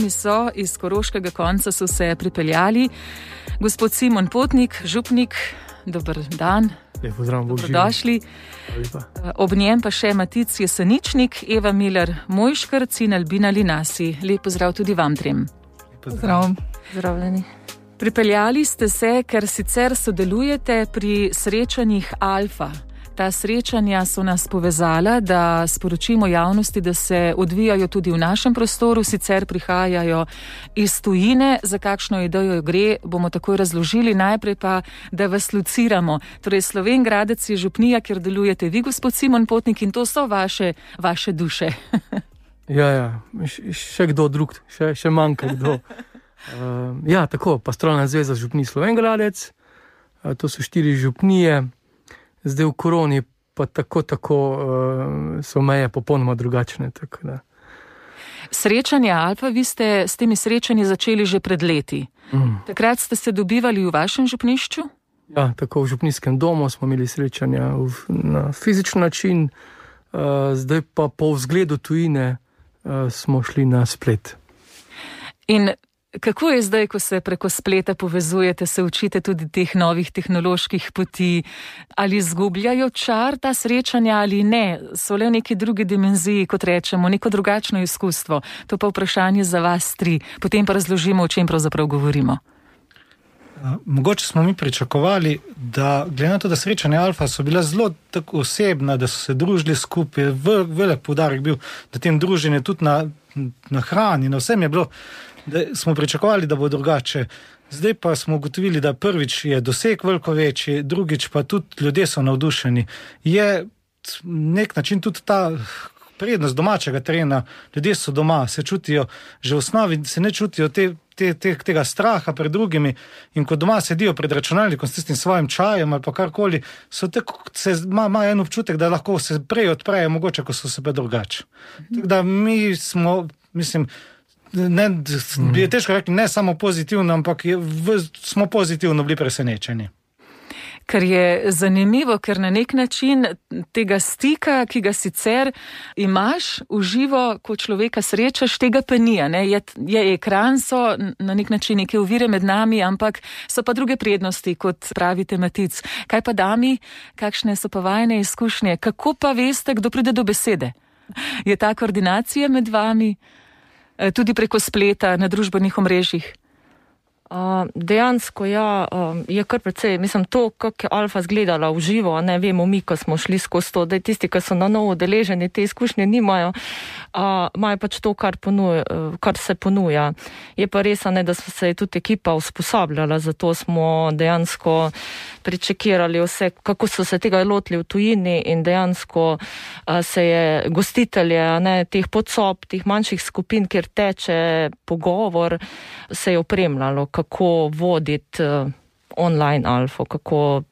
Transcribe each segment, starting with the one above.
nami so, iz Koroškega konca so se pripeljali. Gospod Simon Potnik, župnik, dober dan. Pozdrav, dobrodošli. Ob njem pa še Matic Jeseničnik, Eva Miller Mojškrc in Albina Linasi. Lep pozdrav tudi vam trem. Pozdrav. Zdravljeni. Pripeljali ste se, ker sicer sodelujete pri srečanjih Alfa. Ta srečanja so nas povezala, da sporočimo javnosti, da se odvijajo tudi v našem prostoru, sicer prihajajo iz tujine. Za kakšno idejo gre, bomo takoj razložili. Najprej pa, da vas lociramo. Torej, Slovenj Gradec je župnija, kjer delujete vi, gospod Simon Potnik, in to so vaše duše. Ja, še kdo drug, še manjka kdo. Tako, Pastoralna zveza župnij Slovenj Gradec, to so 4 župnije. Zdaj v koroni pa tako so meje popolnoma drugačne. Tako da. Srečanje Alfa, vi ste s temi srečanji začeli že pred leti. Takrat ste se dobivali v vašem župnišču? Ja, tako v župnijskem domu smo imeli srečanja na fizičen način, zdaj pa po vzgledu tujine smo šli na splet. In kako je zdaj, ko se preko spleta povezujete, se učite tudi teh novih tehnoloških poti? Ali izgubljajo čar ta srečanja ali ne? So le v neki drugi dimenziji, kot rečemo, neko drugačno izkustvo? To pa vprašanje za vas 3. Potem pa razložimo, o čem pravzaprav govorimo. Mogoče smo mi pričakovali, da glede na to, da srečanja Alfa so bila zelo tako osebna, da so se družili skupaj, velik poudarek bil na tem druženju, tudi na hrani, na vsem je bilo, da smo pričakovali, da bo drugače. Zdaj pa smo ugotovili, da prvič je doseg veliko večji, drugič pa tudi ljudje so navdušeni. Je nek način tudi ta prednost domačega terena, ljudje so doma, se čutijo, že v osnovi se ne čutijo tega straha pred drugimi, in ko doma sedijo pred računalnikom s tistim svojim čajem ali pa karkoli, ima en občutek, da lahko se prej odprejo, mogoče, ko so se pa drugače. Tako da mi smo, je težko rekli, ne samo pozitivno, ampak smo pozitivno bili presenečeni. Ker je zanimivo, ker na nek način tega stika, ki ga sicer imaš v živo, ko človeka srečaš, tega pa ni. Je ekran, so na nek način neke ovire med nami, ampak so pa druge prednosti, kot pravite Matic. Kaj pa dami, kakšne so pa vajne izkušnje? Kako pa veste, kdo pride do besede? Je ta koordinacija med vami tudi preko spleta na družbenih omrežjih? Dejansko je kar precej, to, kako je Alfa zgledala v živo, ne vemo mi, ko smo šli skozi to, da tisti, ki so na novo udeleženi, te izkušnje nimajo, imajo pač to, kar se ponuja. Je pa res, da so se tudi ekipa usposabljala, zato smo dejansko pričekirali vse, kako so se tega lotili v tujini, in dejansko se je gostitelje, teh podsob, teh manjših skupin, kjer teče pogovor, se je opremljalo, kako voditi online Alfo, kako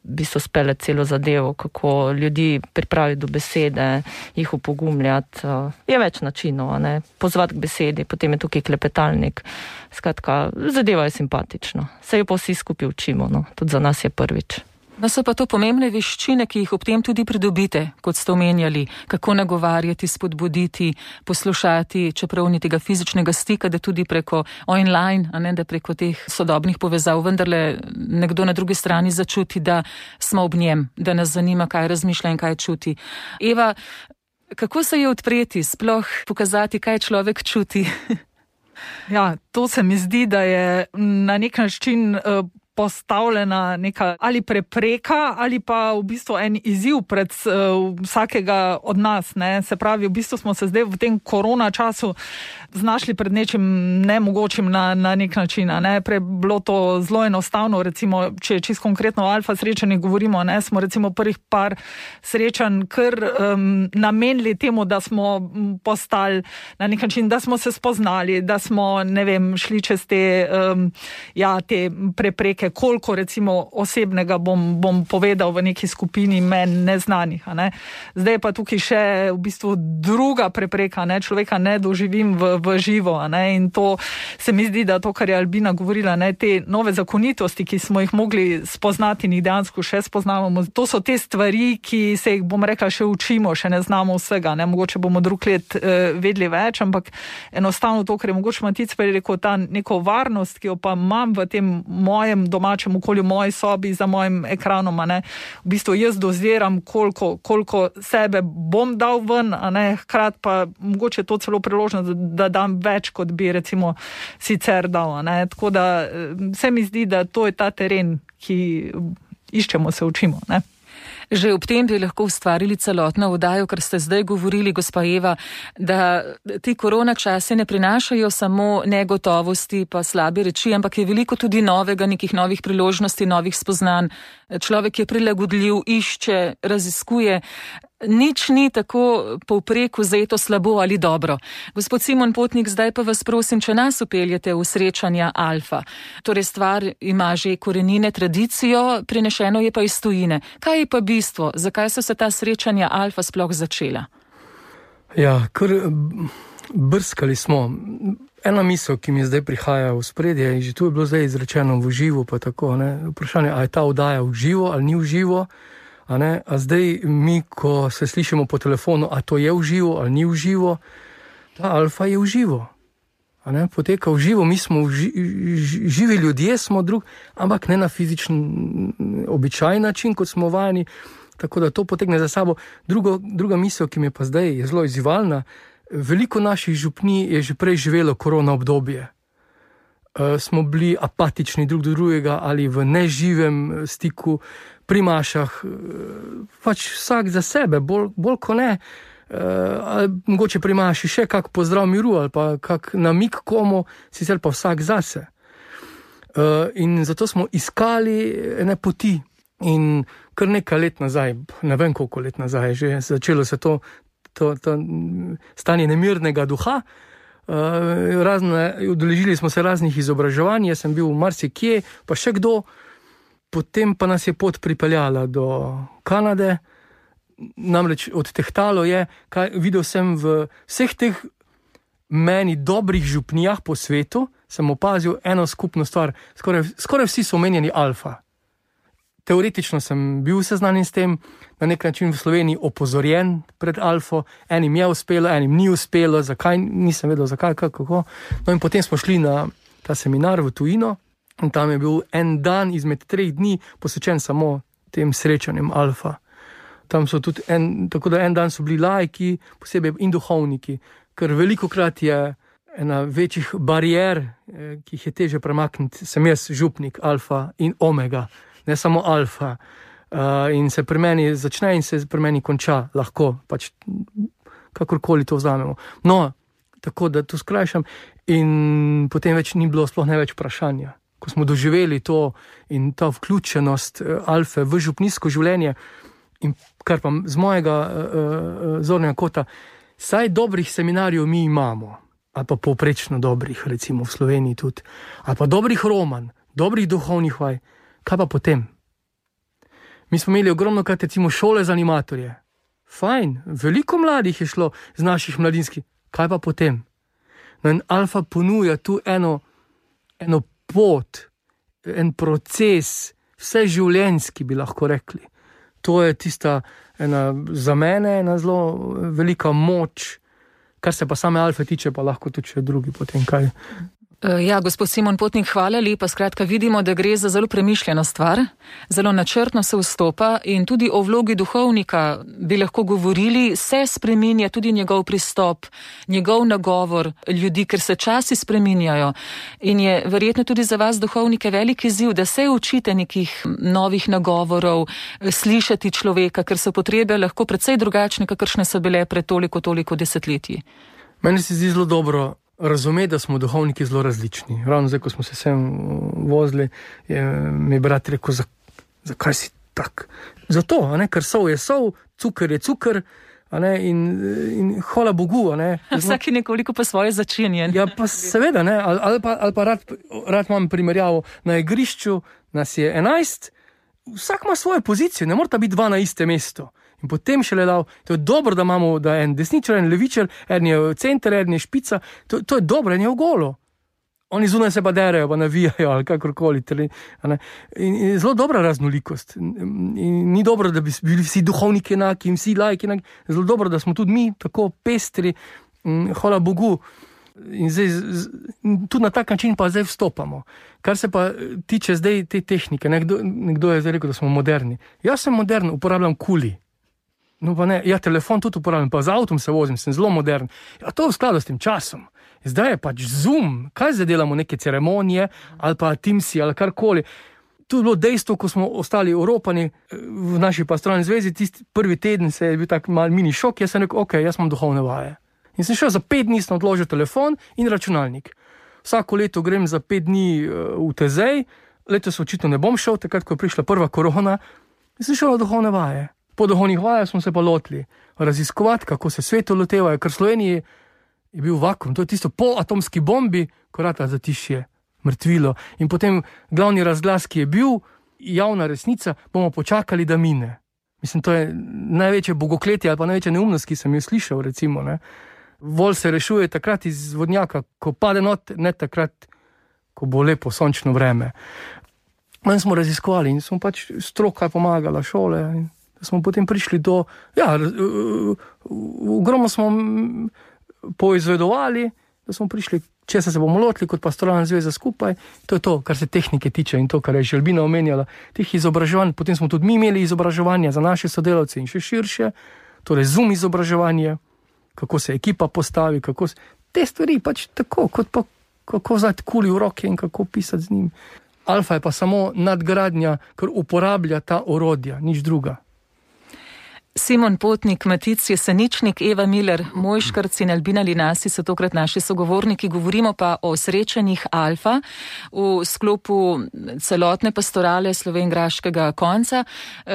bi so spele celo zadevo, kako ljudi pripraviti do besede, jih upogumljati. Je več načinov, pozvati k besedi, potem je tukaj klepetalnik. Skratka, zadeva je simpatična. Se jo pa vsi skupaj učimo, tudi za nas je prvič. No, so pa to pomembne veščine, ki jih ob tem tudi pridobite, kot ste omenjali, kako nagovarjati, spodbuditi, poslušati, čeprav ni tega fizičnega stika, da tudi preko online, da preko teh sodobnih povezav vendarle nekdo na drugi strani začuti, da smo ob njem, da nas zanima, kaj razmišlja in kaj čuti. Eva, kako se je odpreti, sploh pokazati, kaj človek čuti? Ja, to se mi zdi, da je na nek način postavljena neka ali prepreka ali pa v bistvu en izziv pred vsakega od nas. Se pravi, v bistvu smo se zdaj v tem korona času znašli pred nečim nemogočim na nek način. Prej bilo to zelo enostavno, recimo, če čisto konkretno o Alfa srečanjih govorimo, smo recimo prvih par srečanj kar namenili temu, da smo postali na nek način, da smo se spoznali, da smo, šli čez te prepreke, prepreke, koliko recimo osebnega bom povedal v neki skupini meni neznanih. Ne. Zdaj pa tukaj še v bistvu druga prepreka, ne, človeka ne doživim v živo. Ne, in to se mi zdi, da to, kar je Albina govorila, ne, te nove zakonitosti, ki smo jih mogli spoznati in jih dejansko še spoznavamo, to so te stvari, ki se jih, bom rekla, še učimo, še ne znamo vsega. Ne. Mogoče bomo drug let vedeli več, ampak enostavno to, kar je mogoče Matic prej rekel, ta neko varnost, ki jo pa imam v tem mojem domačem okolju, moji sobi, za mojim ekranom, ne. V bistvu jaz doziram, koliko sebe bom dal ven, hkrati pa mogoče to celo priložnost, da dam več, kot bi recimo sicer dal. Ne. Tako da se mi zdi, da to je ta teren, ki iščemo, se učimo. Ne. Že ob tem bi lahko ustvarili celotno oddajo, ker ste zdaj govorili, gospa Eva, da ti korona časi ne prinašajo samo negotovosti pa slabe reči, ampak je veliko tudi novega, nekih novih priložnosti, novih spoznanj. Človek je prilagodljiv, išče, raziskuje. Nič ni tako povprek vzeto slabo ali dobro. Gospod Simon Potnik, zdaj pa vas prosim, če nas upeljete v srečanja Alfa. Torej stvar ima že korenine, tradicijo, prinešeno je pa iz tujine. Kaj je pa bistvo? Zakaj so se ta srečanja Alfa sploh začela? Ja, kar brskali smo. Ena misel, ki mi zdaj prihaja v spredje, in že tu je bilo zdaj izrečeno v živo, pa tako, ne? Vprašanje, a je ta oddaja v živo ali ni v živo? A zdaj mi, ko se slišimo po telefonu, a to je v živo ali ni v živo, ta Alfa je v živo. Poteka v živo, mi smo živi ljudje, smo ampak ne na fizičen, običajen način, kot smo vajeni, tako da to potegne za sabo. Druga misel, ki mi pa zdaj je zelo izzivalna, veliko naših župnij je že prej živelo korona obdobje. Smo bili apatični drug do drugega ali v neživem stiku, pri mašah, pač vsak za sebe, bolj ko ne, ali mogoče pri maši še kak pozdrav miru ali pa kak namik komu, sicer pa vsak zase. In zato smo iskali ene poti in kar nekaj let nazaj, ne vem koliko let nazaj, že začelo se to stanje nemirnega duha, udeležili smo se raznih izobraževanj, jaz sem bil marsikje, pa še kdo. Potem pa nas je pot pripeljala do Kanade, namreč odtehtalo je, videl sem v vseh teh meni dobrih župnijah po svetu, sem opazil eno skupno stvar, skoraj vsi so omenjeni Alfa. Teoretično sem bil seznanjen s tem, na nek način v Sloveniji opozorjen pred Alfo, enim je uspelo, enim ni uspelo, zakaj, nisem vedel zakaj, kako. No in potem smo šli na ta seminar v tujino, in tam je bil en dan izmed 3 dni posvečen samo tem srečanjem Alfa. Tam so tudi tako da en dan so bili laiki, posebej in duhovniki, ker velikokrat je ena večjih barijer, ki jih je teže premakniti, sem jaz župnik Alfa in Omega, ne samo Alfa. In se pri meni začne in se pri meni konča, lahko, pač kakorkoli to vzamemo. No, tako da to skrajšam in potem več ni bilo sploh ne več vprašanja. Ko smo doživeli to in ta vključenost Alfe v župnijsko življenje, in kar pa z mojega zornega kota, saj dobrih seminarjev mi imamo, ali pa povprečno dobrih, recimo v Sloveniji tudi, ali pa dobrih romanj, dobrih duhovnih vaj, kaj pa potem? Mi smo imeli ogromno krat recimo šole za animatorje. Fajn, veliko mladih je šlo z naših mladinskih, kaj pa potem? No in Alfa ponuja tu eno pot, en proces, vse življenjski bi lahko rekli. To je tista za mene ena zelo velika moč, kar se pa same Alfe tiče, pa lahko tudi še drugi potem kaj. Ja, gospod Simon Potnik, hvala lepa. Skratka, vidimo, da gre za zelo premišljeno stvar, zelo načrtno se vstopa in tudi o vlogi duhovnika bi lahko govorili, se spreminja tudi njegov pristop, njegov nagovor ljudi, ker se časi spreminjajo in je verjetno tudi za vas duhovnike velik izziv, da se učite nekih novih nagovorov, slišati človeka, ker so potrebe lahko precej drugačne, kakršne so bile pred toliko desetletji. Meni se zdi zelo dobro razumeti, da smo duhovniki zelo različni. Ravno zdaj, ko smo se sem vozili, mi je brat rekel, zakaj si tak? Zato, ker sol je sol, cukor je cukor, in hvala Bogu. Vsak je nekoliko pa svoje začenjen. Ja, pa seveda, ali pa rad imam primerjavo na igrišču, nas je 11, vsak ima svojo pozicijo, ne morata biti 2 na istem mestu. In potem še le to je dobro, da imamo, da en desničar, en levičar, en je center, en je špica, to je dobro, en je v golo. Oni zunaj se pa derejo, pa navijajo ali kakorkoli. In zelo dobra raznolikost. In ni dobro, da bi bili vsi duhovniki enaki in vsi laiki enaki. Zelo dobro, da smo tudi mi tako pestri, hvala Bogu. In zdaj, tudi na tak način pa zdaj vstopamo. Kar se pa tiče zdaj te tehnike, nekdo je zdaj rekel, da smo moderni. Jaz sem modern, uporabljam kuli. No pa ne, ja, telefon tudi uporabljam, pa z avtom se vozim, sem zelo modern. Ja, to v skladu s tem časom. Zdaj je pač Zoom, kaj zdaj delamo, neke ceremonije ali pa Teamsi ali karkoli. Tu je bilo dejstvo, ko smo ostali Evropani v naši pastoralni zvezi, tisti prvi teden se je bil tak mal mini šok, jaz sem rekel, ok, jaz imam duhovne vaje. In sem šel za 5 dni, sem odložil telefon in računalnik. Vsako leto grem za 5 dni v Tezej, letos očitno ne bom šel, takrat, ko je prišla prva korona, in sem šel na duhovne vaje. Po duhovnih vajah smo se pa lotili raziskovati, kako se svetu lotevajo, ker v Sloveniji je bil vakuum, to je tisto po atomski bombi, ko rata zatišje, mrtvilo. In potem glavni razglas, ki je bil, javna resnica, bomo počakali, da mine. Mislim, to je največje bogokletje ali pa največja neumnost, ki sem jo slišal, recimo, ne. Vol se rešuje takrat iz vodnjaka, ko pade not, ne takrat, ko bo lepo sončno vreme. In smo raziskovali in smo pač stroka pomagala, šole, in smo potem prišli do, ja, ogromno smo poizvedovali, da smo prišli, česa se bomo lotili kot pastoralna zveza skupaj. To je to, kar se tehnike tiče in to, kar je Želbina omenjala, teh izobraževanj. Potem smo tudi mi imeli izobraževanje za naše sodelavce in še širše, torej Zoom izobraževanje, kako se ekipa postavi, kako se, te stvari pač tako, kot pa kako vzeti kuli v roke in kako pisati z njim. Alfa je pa samo nadgradnja, ker uporablja ta orodja, nič druga. Simon Potnik, Matic Jeseničnik, Eva Miller, Mojškrc in Albina Linasi so tokrat naši sogovorniki. Govorimo pa o srečanjih Alfa v sklopu celotne pastorale slovenjgraškega konca.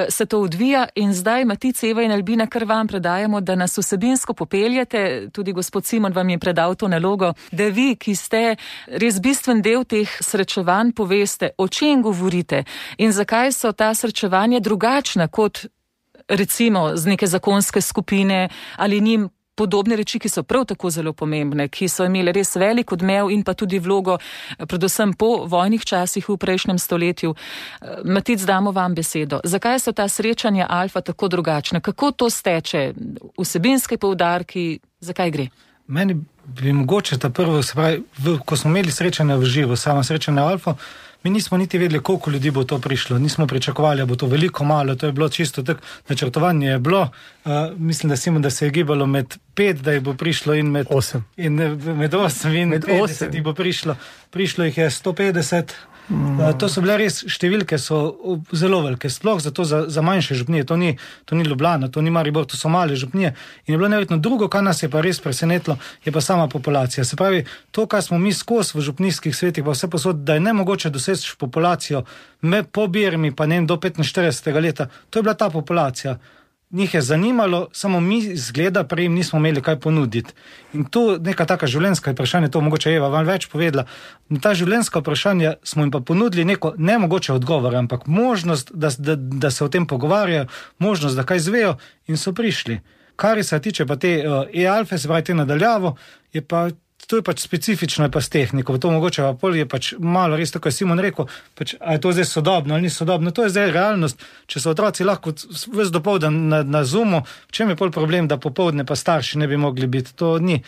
Se to odvija in zdaj, Matic, Eva in Albina, kar vam predajamo, da nas vsebinsko popeljete. Tudi gospod Simon vam je predal to nalogo, da vi, ki ste res bistven del teh srečevanj, poveste, o čem govorite in zakaj so ta srečevanja drugačna kot recimo z neke zakonske skupine ali njim podobne reči, ki so prav tako zelo pomembne, ki so imeli res velik odmev in pa tudi vlogo, predvsem po vojnih časih v prejšnjem stoletju. Matic, damo vam besedo. Zakaj so ta srečanja Alfa tako drugačna? Kako to steče? Vsebinske poudarki, zakaj gre? Meni bi mogoče ta prvo, se pravi, ko smo imeli srečanja v živo, sama srečanja Alfa, mi nismo niti vedeli, koliko ljudi bo to prišlo. Nismo pričakovali, da bo to veliko, malo. To je bilo čisto tako, načrtovanje je bilo. Mislim, da se je gibalo med 5, da jih bo prišlo in med 8. In med 8 in med 50 jih bo prišlo. Prišlo jih je 150. To so bile res številke, so zelo velike, sploh zato za manjše župnije, to ni Ljubljana, to ni Maribor, to so male župnije in je bilo neverjetno. Drugo, kar nas je pa res presenetilo, je pa sama populacija. Se pravi, to, kar smo mi skozi v župnijskih svetih, pa vse posod, da je nemogoče doseči populacijo po Birmi, pa ne do 45. leta, to je bila ta populacija. Njih je zanimalo, samo mi zgleda prej jim nismo imeli kaj ponuditi. In tu neka taka življenjska vprašanja, to mogoče Eva vam več povedala, na ta življenjska vprašanja smo jim pa ponudili neko nemogoče odgovor, ampak možnost, da se o tem pogovarjajo, možnost, da kaj zvejo in so prišli. Kar se tiče pa te e-alfe, se pravi te nadaljavo, je pa to je pač specifično, je pa s tehniko, to mogoče pa pol je pač malo res tako, je Simon rekel, pač, a je to zdaj sodobno ali ni sodobno, to je zdaj realnost, če so otroci lahko ves dopoldan na Zoomu, v čem je pol problem, da popoldne pa starši ne bi mogli biti, to ni.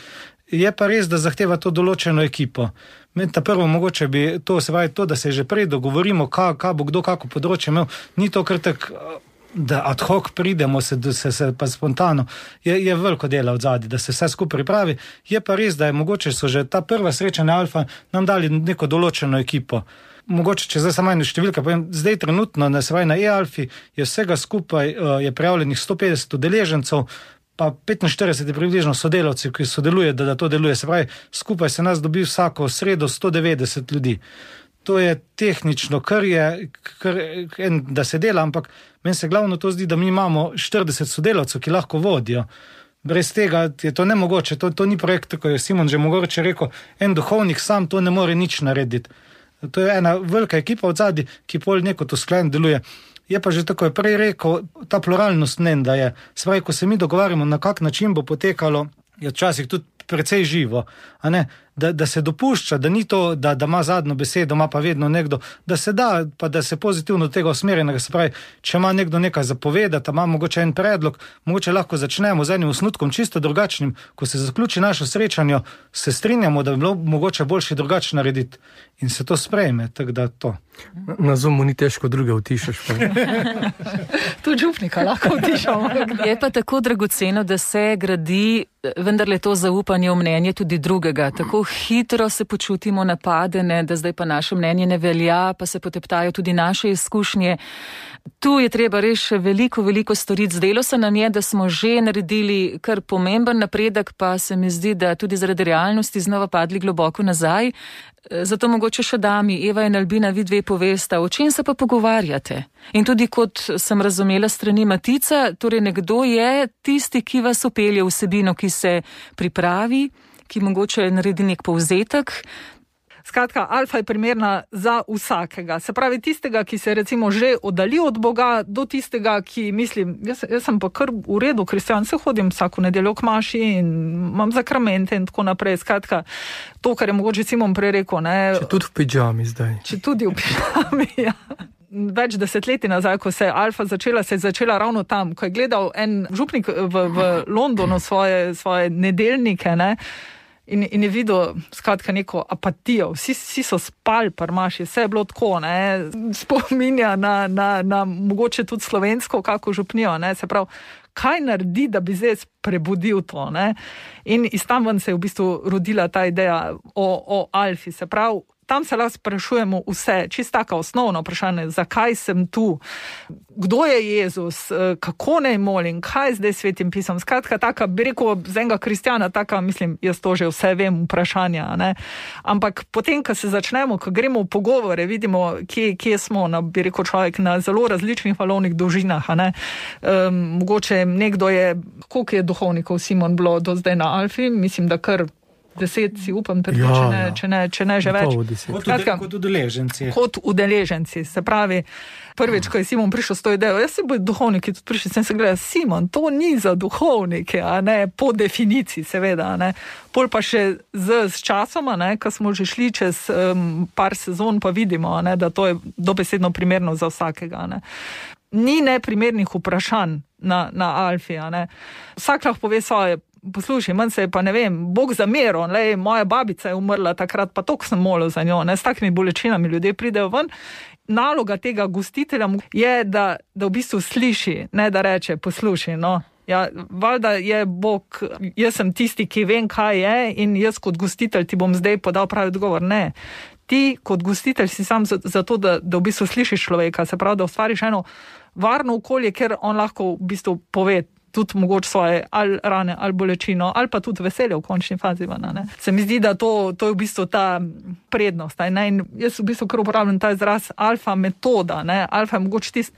Je pa res, da zahteva to določeno ekipo. Meni ta prvo mogoče bi to, se pravi to, da se že prej dogovorimo, kaj bo kdo kako področje imel, ni to kar tak, da ad hoc pridemo se pa spontano, je veliko dela od zadnji, da se vse skupaj pripravi. Je pa res, da je mogoče so že ta prva srečanja Alfa nam dali neko določeno ekipo. Mogoče, če zdaj samo eno številka povem, zdaj trenutno na e-alfi je vsega skupaj je prijavljenih 150 udeležencev, pa 45 je približno sodelavci, ki sodeluje, da to deluje. Se pravi, skupaj se nas dobi vsako sredo 190 ljudi. To je tehnično, kar da se dela, ampak meni se glavno to zdi, da mi imamo 40 sodelavcev, ki lahko vodijo. Brez tega je to nemogoče, to ni projekt, tako je Simon že mogoče rekel, en duhovnik sam to ne more nič narediti. to je ena velika ekipa od zadnji, ki pol neko to sklen deluje. Je pa že tako je prej rekel, ta pluralnost da je. Se pravi, ko se mi dogovarjamo, na kak način bo potekalo, je včasih tudi precej živo, a ne? Da se dopušča, da ni to, da ima zadnjo besedo, ima pa vedno nekdo, da se da, pa da se pozitivno tega usmerjenega, se pravi, če ima nekdo nekaj zapovedati, ima mogoče en predlog, mogoče lahko začnemo z enim osnutkom čisto drugačnim, ko se zaključi naše srečanje, se strinjamo, da bi bilo mogoče boljše drugače narediti in se to sprejme, tako da to. Na Zoomu ni težko druge utišaš. Tudi župnika lahko utišamo. Je pa tako dragoceno, da se gradi vendarle to zaupanje v mnenje tudi drugega. Tako hitro se počutimo napadene, da zdaj pa naše mnenje ne velja, pa se poteptajo tudi naše izkušnje. Tu je treba res še veliko storiti. Zdelo se nam je, da smo že naredili kar pomemben napredek, pa se mi zdi, da tudi zaradi realnosti znova padli globoko nazaj. Zato mogoče še dami, Eva in Albina, vi dve povesta, o čem se pa pogovarjate? In tudi kot sem razumela strani Matica, torej nekdo je tisti, ki vas upelje vsebino, ki se pripravi, ki mogoče naredi nek povzetek. Skratka, alfa je primerna za vsakega. Se pravi, tistega, ki se recimo že oddali od Boga, do tistega, ki mislim, jaz sem pa kar v redu kristjan, se hodim vsako nedeljo k maši in imam zakramente in tako naprej. Skratka, to, kar je mogoče Simon prej rekel, ne. Če tudi v pidžami zdaj. Če tudi v pidžami, ja. Več desetletij nazaj, ko se je alfa začela, se je začela ravno tam, ko je gledal en župnik v Londonu svoje nedeljnike, ne. In je videl, skratka, neko apatijo. Vsi so spali pri maši, vse je bilo tako, ne, spominja na mogoče tudi slovensko kako župnijo, ne, se pravi, kaj naredi, da bi zdaj prebudil to, ne. In iz tam ven se je v bistvu rodila ta ideja o alfi, se pravi, tam se lahko sprašujemo vse, čisto tako osnovno vprašanje, zakaj sem tu, kdo je Jezus, kako naj molim, kaj je zdaj svetim pisom. Skratka, taka, bi rekel, z enega kristjana, taka, mislim, jaz to že vse vem, vprašanja, ne. Ampak potem, ko se začnemo, ko gremo v pogovore, vidimo, kje smo, bi rekel človek, na zelo različnih valovnih dolžinah, ne. Mogoče nekdo je, koliko je duhovnikov Simon bilo do zdaj na alfi, mislim, da kar 10 si upam, če ne že več. Kot udeleženci. Kot udeleženci, se pravi, prvič, ko je Simon prišel s to idejo, jaz se bojo duhovniki tudi prišli, sem se gledal, Simon, to ni za duhovnike, a ne, po definiciji, seveda, a ne. Pol pa še z časoma, ne, ko smo že šli čez par sezon, pa vidimo, a ne, da to je dobesedno primerno za vsakega, a ne. Ni neprimernih vprašanj na alfi, a ne. Vsak lahko pove svoje, poslušaj, manj se je pa, ne vem, Bog zameril, moja babica je umrla takrat, pa toliko sem molil za njo, ne, s takimi bolečinami ljudje pridejo ven. Naloga tega gostitelja je, da v bistvu sliši, ne da reče, poslušaj, no, ja, valjda je Bog, jaz sem tisti, ki vem, kaj je in jaz kot gostitelj ti bom zdaj podal pravi odgovor, ne. Ti kot gostitelj si sam zato, da v bistvu slišiš človeka, se pravi, da ustvariš eno varno okolje, ker on lahko v bistvu pove tudi mogoče svoje ali rane, ali bolečino, ali pa tudi veselje v končni fazi. Ne? Se mi zdi, da to je v bistvu ta prednost. Ne? In jaz v bistvu kar uporabljam ta izraz alfa metoda. Ne? Alfa je mogoče tisti,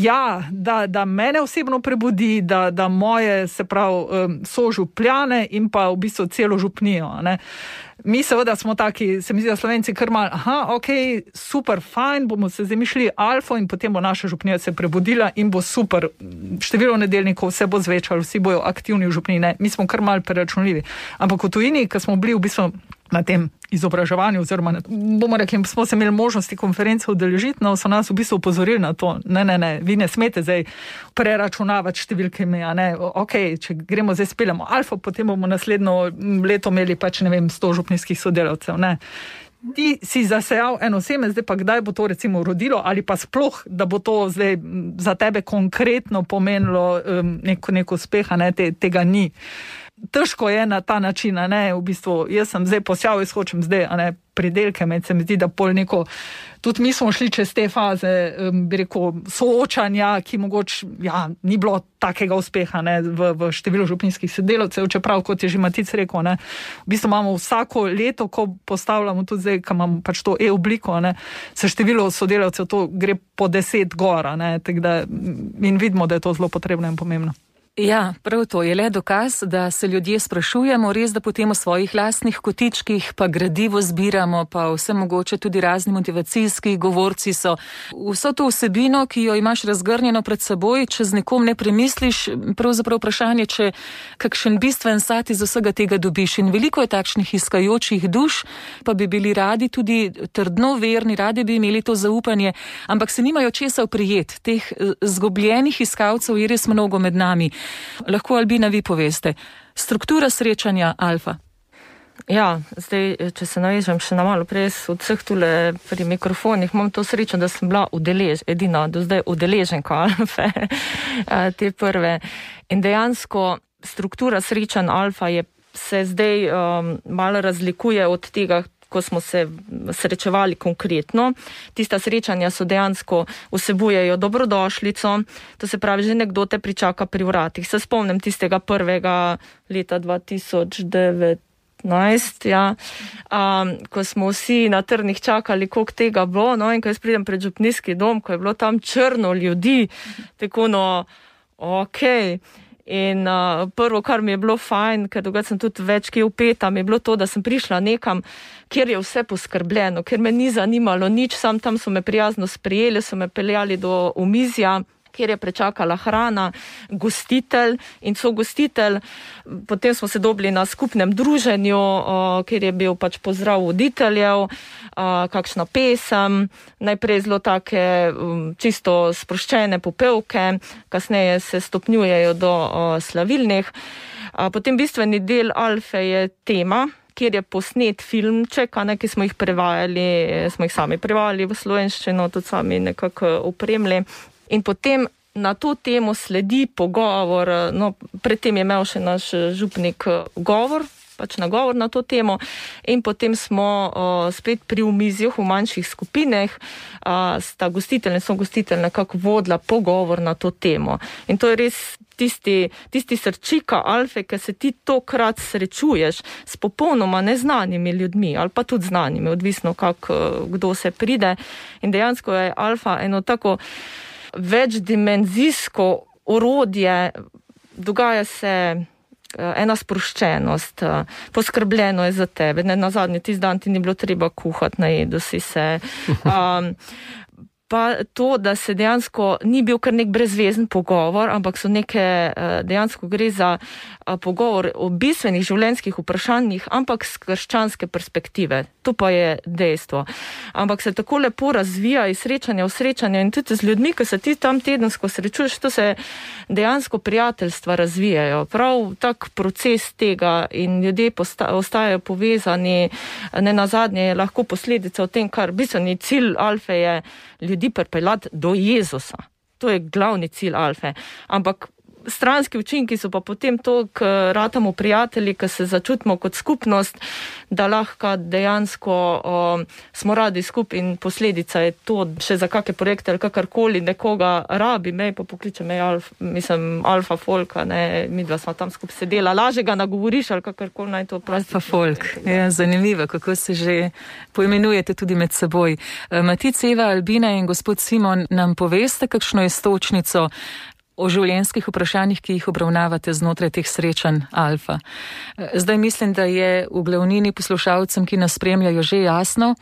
ja, da mene osebno prebudi, da moje, se pravi, sožupljane in pa v bistvu celo župnijo. Ne? Mi seveda smo taki, se mi zdi, da Slovenci kar malo, ok, super, fajn, bomo se zamišljali alfo in potem bo naša župnija se prebudila in bo super, število nedeljnikov se bo zvečalo, vsi bojo aktivni v župniji, ne, mi smo kar malo preračunljivi. Ampak v tujini, ko smo bili v bistvu na tem izobraževanju, oziroma bomo rekli, smo se imeli možnosti konference udeležiti, no, so nas v bistvu upozorili na to, ne, vi ne smete zdaj preračunavati številkami, a ne, ok, če gremo zdaj speljamo alfo, potem bomo naslednjo leto imeli pač, ne vem, 100 župnijskih sodelavcev, ne. Ti si zasejal eno seme, zdaj pa kdaj bo to recimo rodilo, ali pa sploh, da bo to zdaj za tebe konkretno pomenilo nek uspeh, ne, tega ni. Težko je na ta način, a ne, v bistvu, jaz sem zdaj posjal, jaz hočem zdaj, a ne, pridelke, se mi zdi, da pol neko, tudi mi smo šli čez te faze, bi rekel, soočanja, ki mogoče, ja, ni bilo takega uspeha, ne, v številu župnijskih sodelavcev, čeprav, kot je že Matic rekel, ne, v bistvu imamo vsako leto, ko postavljamo tudi zdaj, ko imamo pač to e-obliko, ne, se število sodelavcev, to gre po 10 gora, ne, tako da, in vidimo, da je to zelo potrebno in pomembno. Ja, prav to je le dokaz, da se ljudje sprašujemo, res da potem v svojih lastnih kotičkih pa gradivo zbiramo, pa vse mogoče tudi razni motivacijski govorci so. Vso to vsebino, ki jo imaš razgrnjeno pred seboj, če z nekom ne premisliš, pravzaprav vprašanje, če kakšen bistven sat iz vsega tega dobiš. In veliko je takšnih iskajočih duš, pa bi bili radi tudi trdno verni, radi bi imeli to zaupanje, ampak se nimajo česa oprijeti. Teh zgubljenih iskalcev je res mnogo med nami. Lahko, Albina, vi poveste, struktura srečanja Alfa. Ja, zdaj, če se navežem še na malo prej od vseh tule pri mikrofonih, imam to srečo, da sem bila edina do zdaj udeleženka Alfe, te prve. In dejansko struktura srečanj Alfa se zdaj malo razlikuje od tega, ko smo se srečevali konkretno. Tista srečanja so dejansko vsebujejo dobrodošlico, to se pravi, že nekdo te pričaka pri vratih. Se spomnim tistega prvega leta 2019, ko smo vsi na trnih čakali, koliko tega bo, no, in ko jaz pridem pred župnijski dom, ko je bilo tam črno ljudi, tako okej. In prvo, kar mi je bilo fajn, ker drugače sem tudi več kje upeta, mi je bilo to, da sem prišla nekam, kjer je vse poskrbljeno, ker me ni zanimalo nič, sam tam so me prijazno sprejeli, so me peljali do omizja, kjer je prečakala hrana, gostitelj in sogostitelj. Potem smo se dobili na skupnem druženju, kjer je bil pač pozdrav voditeljev, kakšna pesem, najprej zelo take čisto sproščene popevke, kasneje se stopnjujejo do slavilnih. Potem bistveni del Alfe je tema, kjer je posnet filmček, ki smo jih prevajali, smo jih sami prevajali v slovenščino, tudi sami nekako opremili. In potem na to temo sledi pogovor, no, predtem je imel še naš župnik govor, pač nagovor na to temo, in potem smo spet pri omizjih v manjših skupinah, sta gostitelj in sogostitelj nekako vodila pogovor na to temo. In to je res tisti srčika Alfe, ker se ti tokrat srečuješ s popolnoma neznanimi ljudmi, ali pa tudi znanimi, odvisno kdo se pride. In dejansko je Alfa eno tako večdimenzijsko orodje, dogaja se ena sproščenost, poskrbljeno je za tebe, ne nazadnje tisti dan ti ni bilo treba kuhati, najedo si se. Pa to, da se dejansko ni bil kar nek brezvezen pogovor, ampak so dejansko gre za pogovor o bistvenih življenjskih vprašanjih, ampak z krščanske perspektive. To pa je dejstvo. Ampak se tako lepo razvija iz srečanja v srečanje in tudi z ljudmi, ki se ti tam tedensko srečuješ, to se dejansko prijateljstva razvijajo. Prav tak proces tega in ljudje ostajajo povezani, ne nazadnje je lahko posledica v tem, kar bistveni cilj Alfe je ljudi pripeljati do Jezusa. To je glavni cilj Alfe. Ampak stranski učinki so pa potem to, ker ratamo prijatelji, ker se začutimo kot skupnost, da lahko dejansko smo radi skupaj in posledica je to, še za kakšne projekte ali kakorkoli nekoga rabi, me pa pokliče me Alfa Folka, midva smo tam skupaj sedela, laže ga nagovoriš ali kakorkoli naj to prosti. Alfa Folk, ja, zanimivo, kako se že poimenujete tudi med seboj. Matic, Eva, Albina in gospod Simon, nam poveste, kakšno je stočnico o življenjskih vprašanjih, ki jih obravnavate znotraj teh srečanj Alfa. Zdaj mislim, da je v glavnini poslušalcem, ki nas spremljajo, že jasno,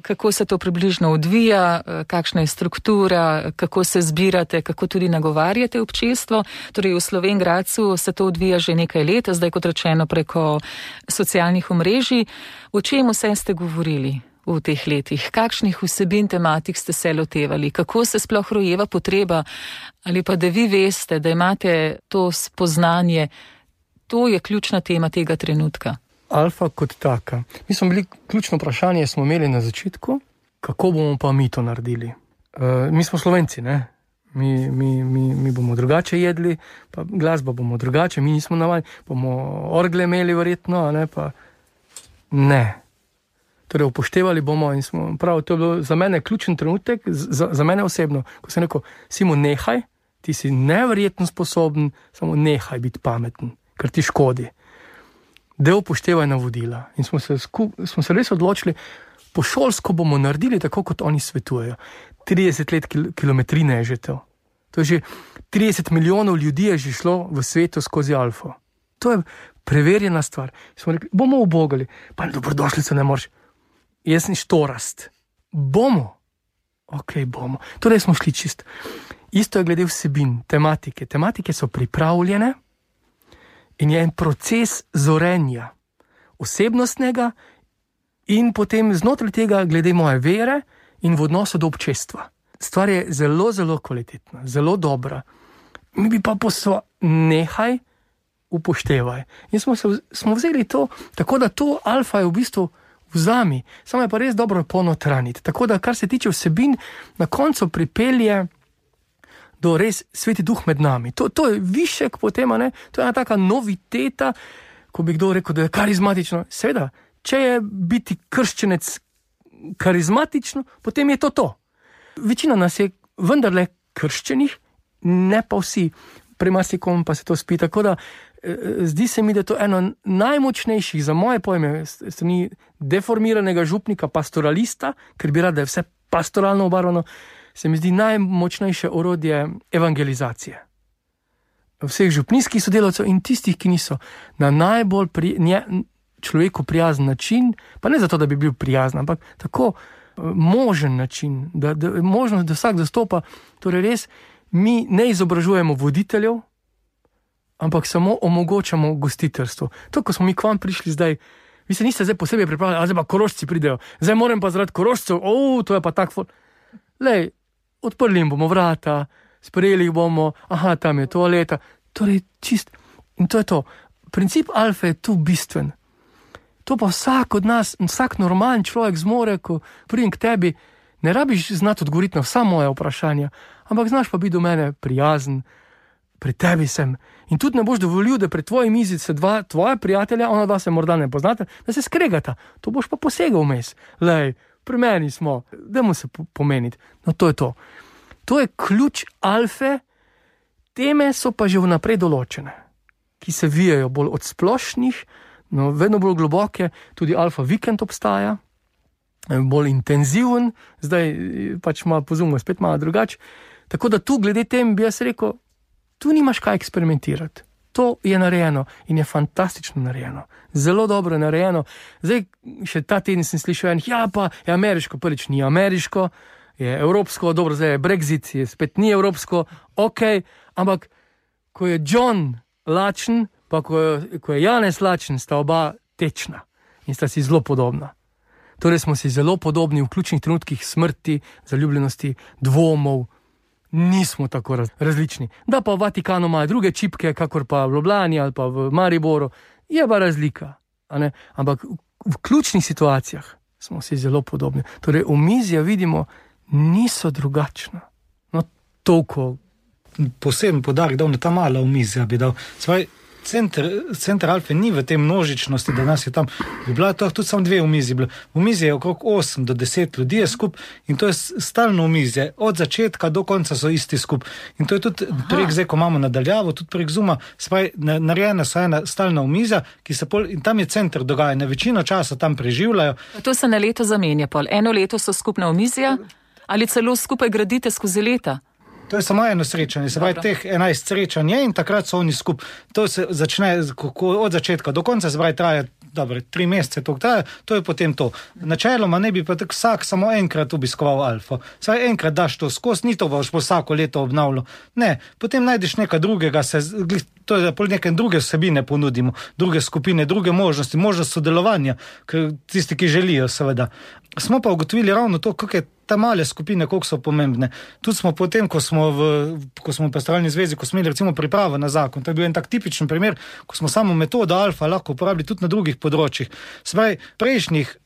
kako se to približno odvija, kakšna je struktura, kako se zbirate, kako tudi nagovarjate občestvo. Torej v Slovenj Gradcu se to odvija že nekaj let, zdaj kot rečeno preko socialnih omrežij. O čem vse ste govorili v teh letih? Kakšnih vsebin tematik ste se lotevali? Kako se sploh rojeva potreba? Ali pa da vi veste, da imate to spoznanje, to je ključna tema tega trenutka? Alfa kot taka. Mi smo bili, ključno vprašanje smo imeli na začetku, kako bomo pa mi to naredili. Mi smo Slovenci, ne? Mi bomo drugače jedli, pa glasba bomo drugače, mi nismo navadni, bomo orgle imeli verjetno, ne? Pa ne. Torej upoštevali bomo in smo, prav, to je bilo za mene ključen trenutek, za mene osebno, ko sem rekel, Simon, nehaj, ti si neverjetno sposoben, samo nehaj biti pameten, ker ti škodi. Da upoštevaj navodila. In smo se res odločili, po šolsko bomo naredili tako, kot oni svetujejo. 30 let kilometrine je že to. To je že 30 milijonov ljudi je že šlo v svetu skozi alfo. To je preverjena stvar. Smo rekli, bomo ubogali, pa dobrodošlico ne moreš. Jaz sem štorast. Bomo. Ok, bomo. Torej smo šli čist. Isto je glede vsebin, tematike. Tematike so pripravljene in je en proces zorenja, osebnostnega in potem znotraj tega glede moje vere in v odnosu do občestva. Stvar je zelo, zelo kvalitetna, zelo dobra. Mi bi pa nehaj upoštevaj. In smo vzeli to, tako da to alfa je v bistvu vzami, samo je pa res dobro ponotraniti. Tako da, kar se tiče vsebin, na koncu pripelje do res Sveti Duh med nami. To je višek potem, ne? To je ena taka noviteta, ko bi kdo rekel, da je karizmatično. Seveda, če je biti krščenec karizmatično, potem je to. Večina nas je vendarle krščenih, ne pa vsi. Pri marsikom pa se to spi. Tako da zdi se mi, da je to eno najmočnejših, za moje pojme, strani deformiranega župnika, pastoralista, ker bi rad, da je vse pastoralno obarvano, se mi zdi najmočnejše orodje evangelizacije. Vseh župnijskih sodelavcev in tistih, ki niso, na najbolj človeku prijazen način, pa ne zato, da bi bil prijazen, ampak tako možen način, da možnost, da vsak zastopa, torej res, mi ne izobražujemo voditeljev, ampak samo omogočamo gostiteljstvo. To, ko smo mi k vam prišli zdaj, vi se niste zdaj posebej pripravljali, zdaj pa Korošci pridejo, zdaj moram pa zaradi Korošcev, to je pa tako. Lej, odprli jim bomo vrata, sprejeli jih bomo, tam je toaleta, torej čist. In to je to. Princip alfe je tu bistven. To pa vsak od nas, vsak normalen človek zmore, ko pridem k tebi, ne rabiš znati odgovoriti na vsa moja vprašanja, ampak znaš pa biti do mene prijazen, pri tebi sem. In tudi ne boš dovolil, da pred tvojim mizi se dva tvoja prijatelja, ona dva se morda ne poznate, da se skregata. To boš pa posegal vmes. Lej, pri meni smo, dajmo se pomeniti. No, to je to. To je ključ alfe, teme so pa že vnaprej določene, ki se vijajo bolj od splošnih, no, vedno bolj globoke, tudi alfa vikend obstaja, bolj intenziven, zdaj pač malo pozumno, spet malo drugače. Tako da tu glede tem bi jaz rekel, tu nimaš kaj eksperimentirati. To je narejeno in je fantastično narejeno. Zelo dobro narejeno. Zdaj, še ta teden sem slišal pa je ameriško, prvič ni ameriško, je evropsko, dobro, zdaj je Brexit, je spet ni evropsko, ampak ko je John lačen, pa ko je Janez lačen, sta oba tečna in sta si zelo podobna. Torej smo si zelo podobni v ključnih trenutkih smrti, zaljubljenosti, dvomov, nismo tako različni. Da pa v Vatikanu imajo druge čipke, kakor pa v Ljubljani ali pa v Mariboru, je pa razlika. Ampak v ključnih situacijah smo si zelo podobni. Torej omizja vidimo, niso drugačna. No, toliko. Poseben poudarek dal na ta mala omizja bi dal. Center alfe ni v tej množičnosti, da nas je tam. Bi bila to tudi samo 2 omizji. Omizje je okrog 8 do 10 ljudi skup in to je stalno omizje. Od začetka do konca so isti skup. In to je tudi prek zdaj, ko imamo nadaljavo, tudi prek Zooma, narejena so ena stalna omizja, in tam je center dogajanja. Večino časa tam preživljajo. To se na leto zamenja, pol. Eno leto so skupna omizja ali celo skupaj gradite skozi leta? To je samo eno srečanje, se pravi teh 11 srečanj in takrat so oni skup. To se začne od začetka do konca, se pravi traja 3 mesece, to je potem to. Načeloma ne bi pa tako vsak samo enkrat obiskoval alfo. Saj enkrat daš to skozi, ni to boš vsako leto obnavljal. Ne, potem najdeš nekaj drugega, to je pol neke druge vsebine ponudimo, druge skupine, druge možnosti, možnost sodelovanja, tisti, ki želijo seveda. Smo pa ugotovili ravno to, kako je ta male skupine, koliko so pomembne. Tudi smo potem, ko smo v pastoralni zvezi, ko smo imeli recimo pripravo na zakon, to je bil en tak tipičen primer, ko smo samo metodo alfa lahko uporabili tudi na drugih področjih. Se pravi, prejšnjih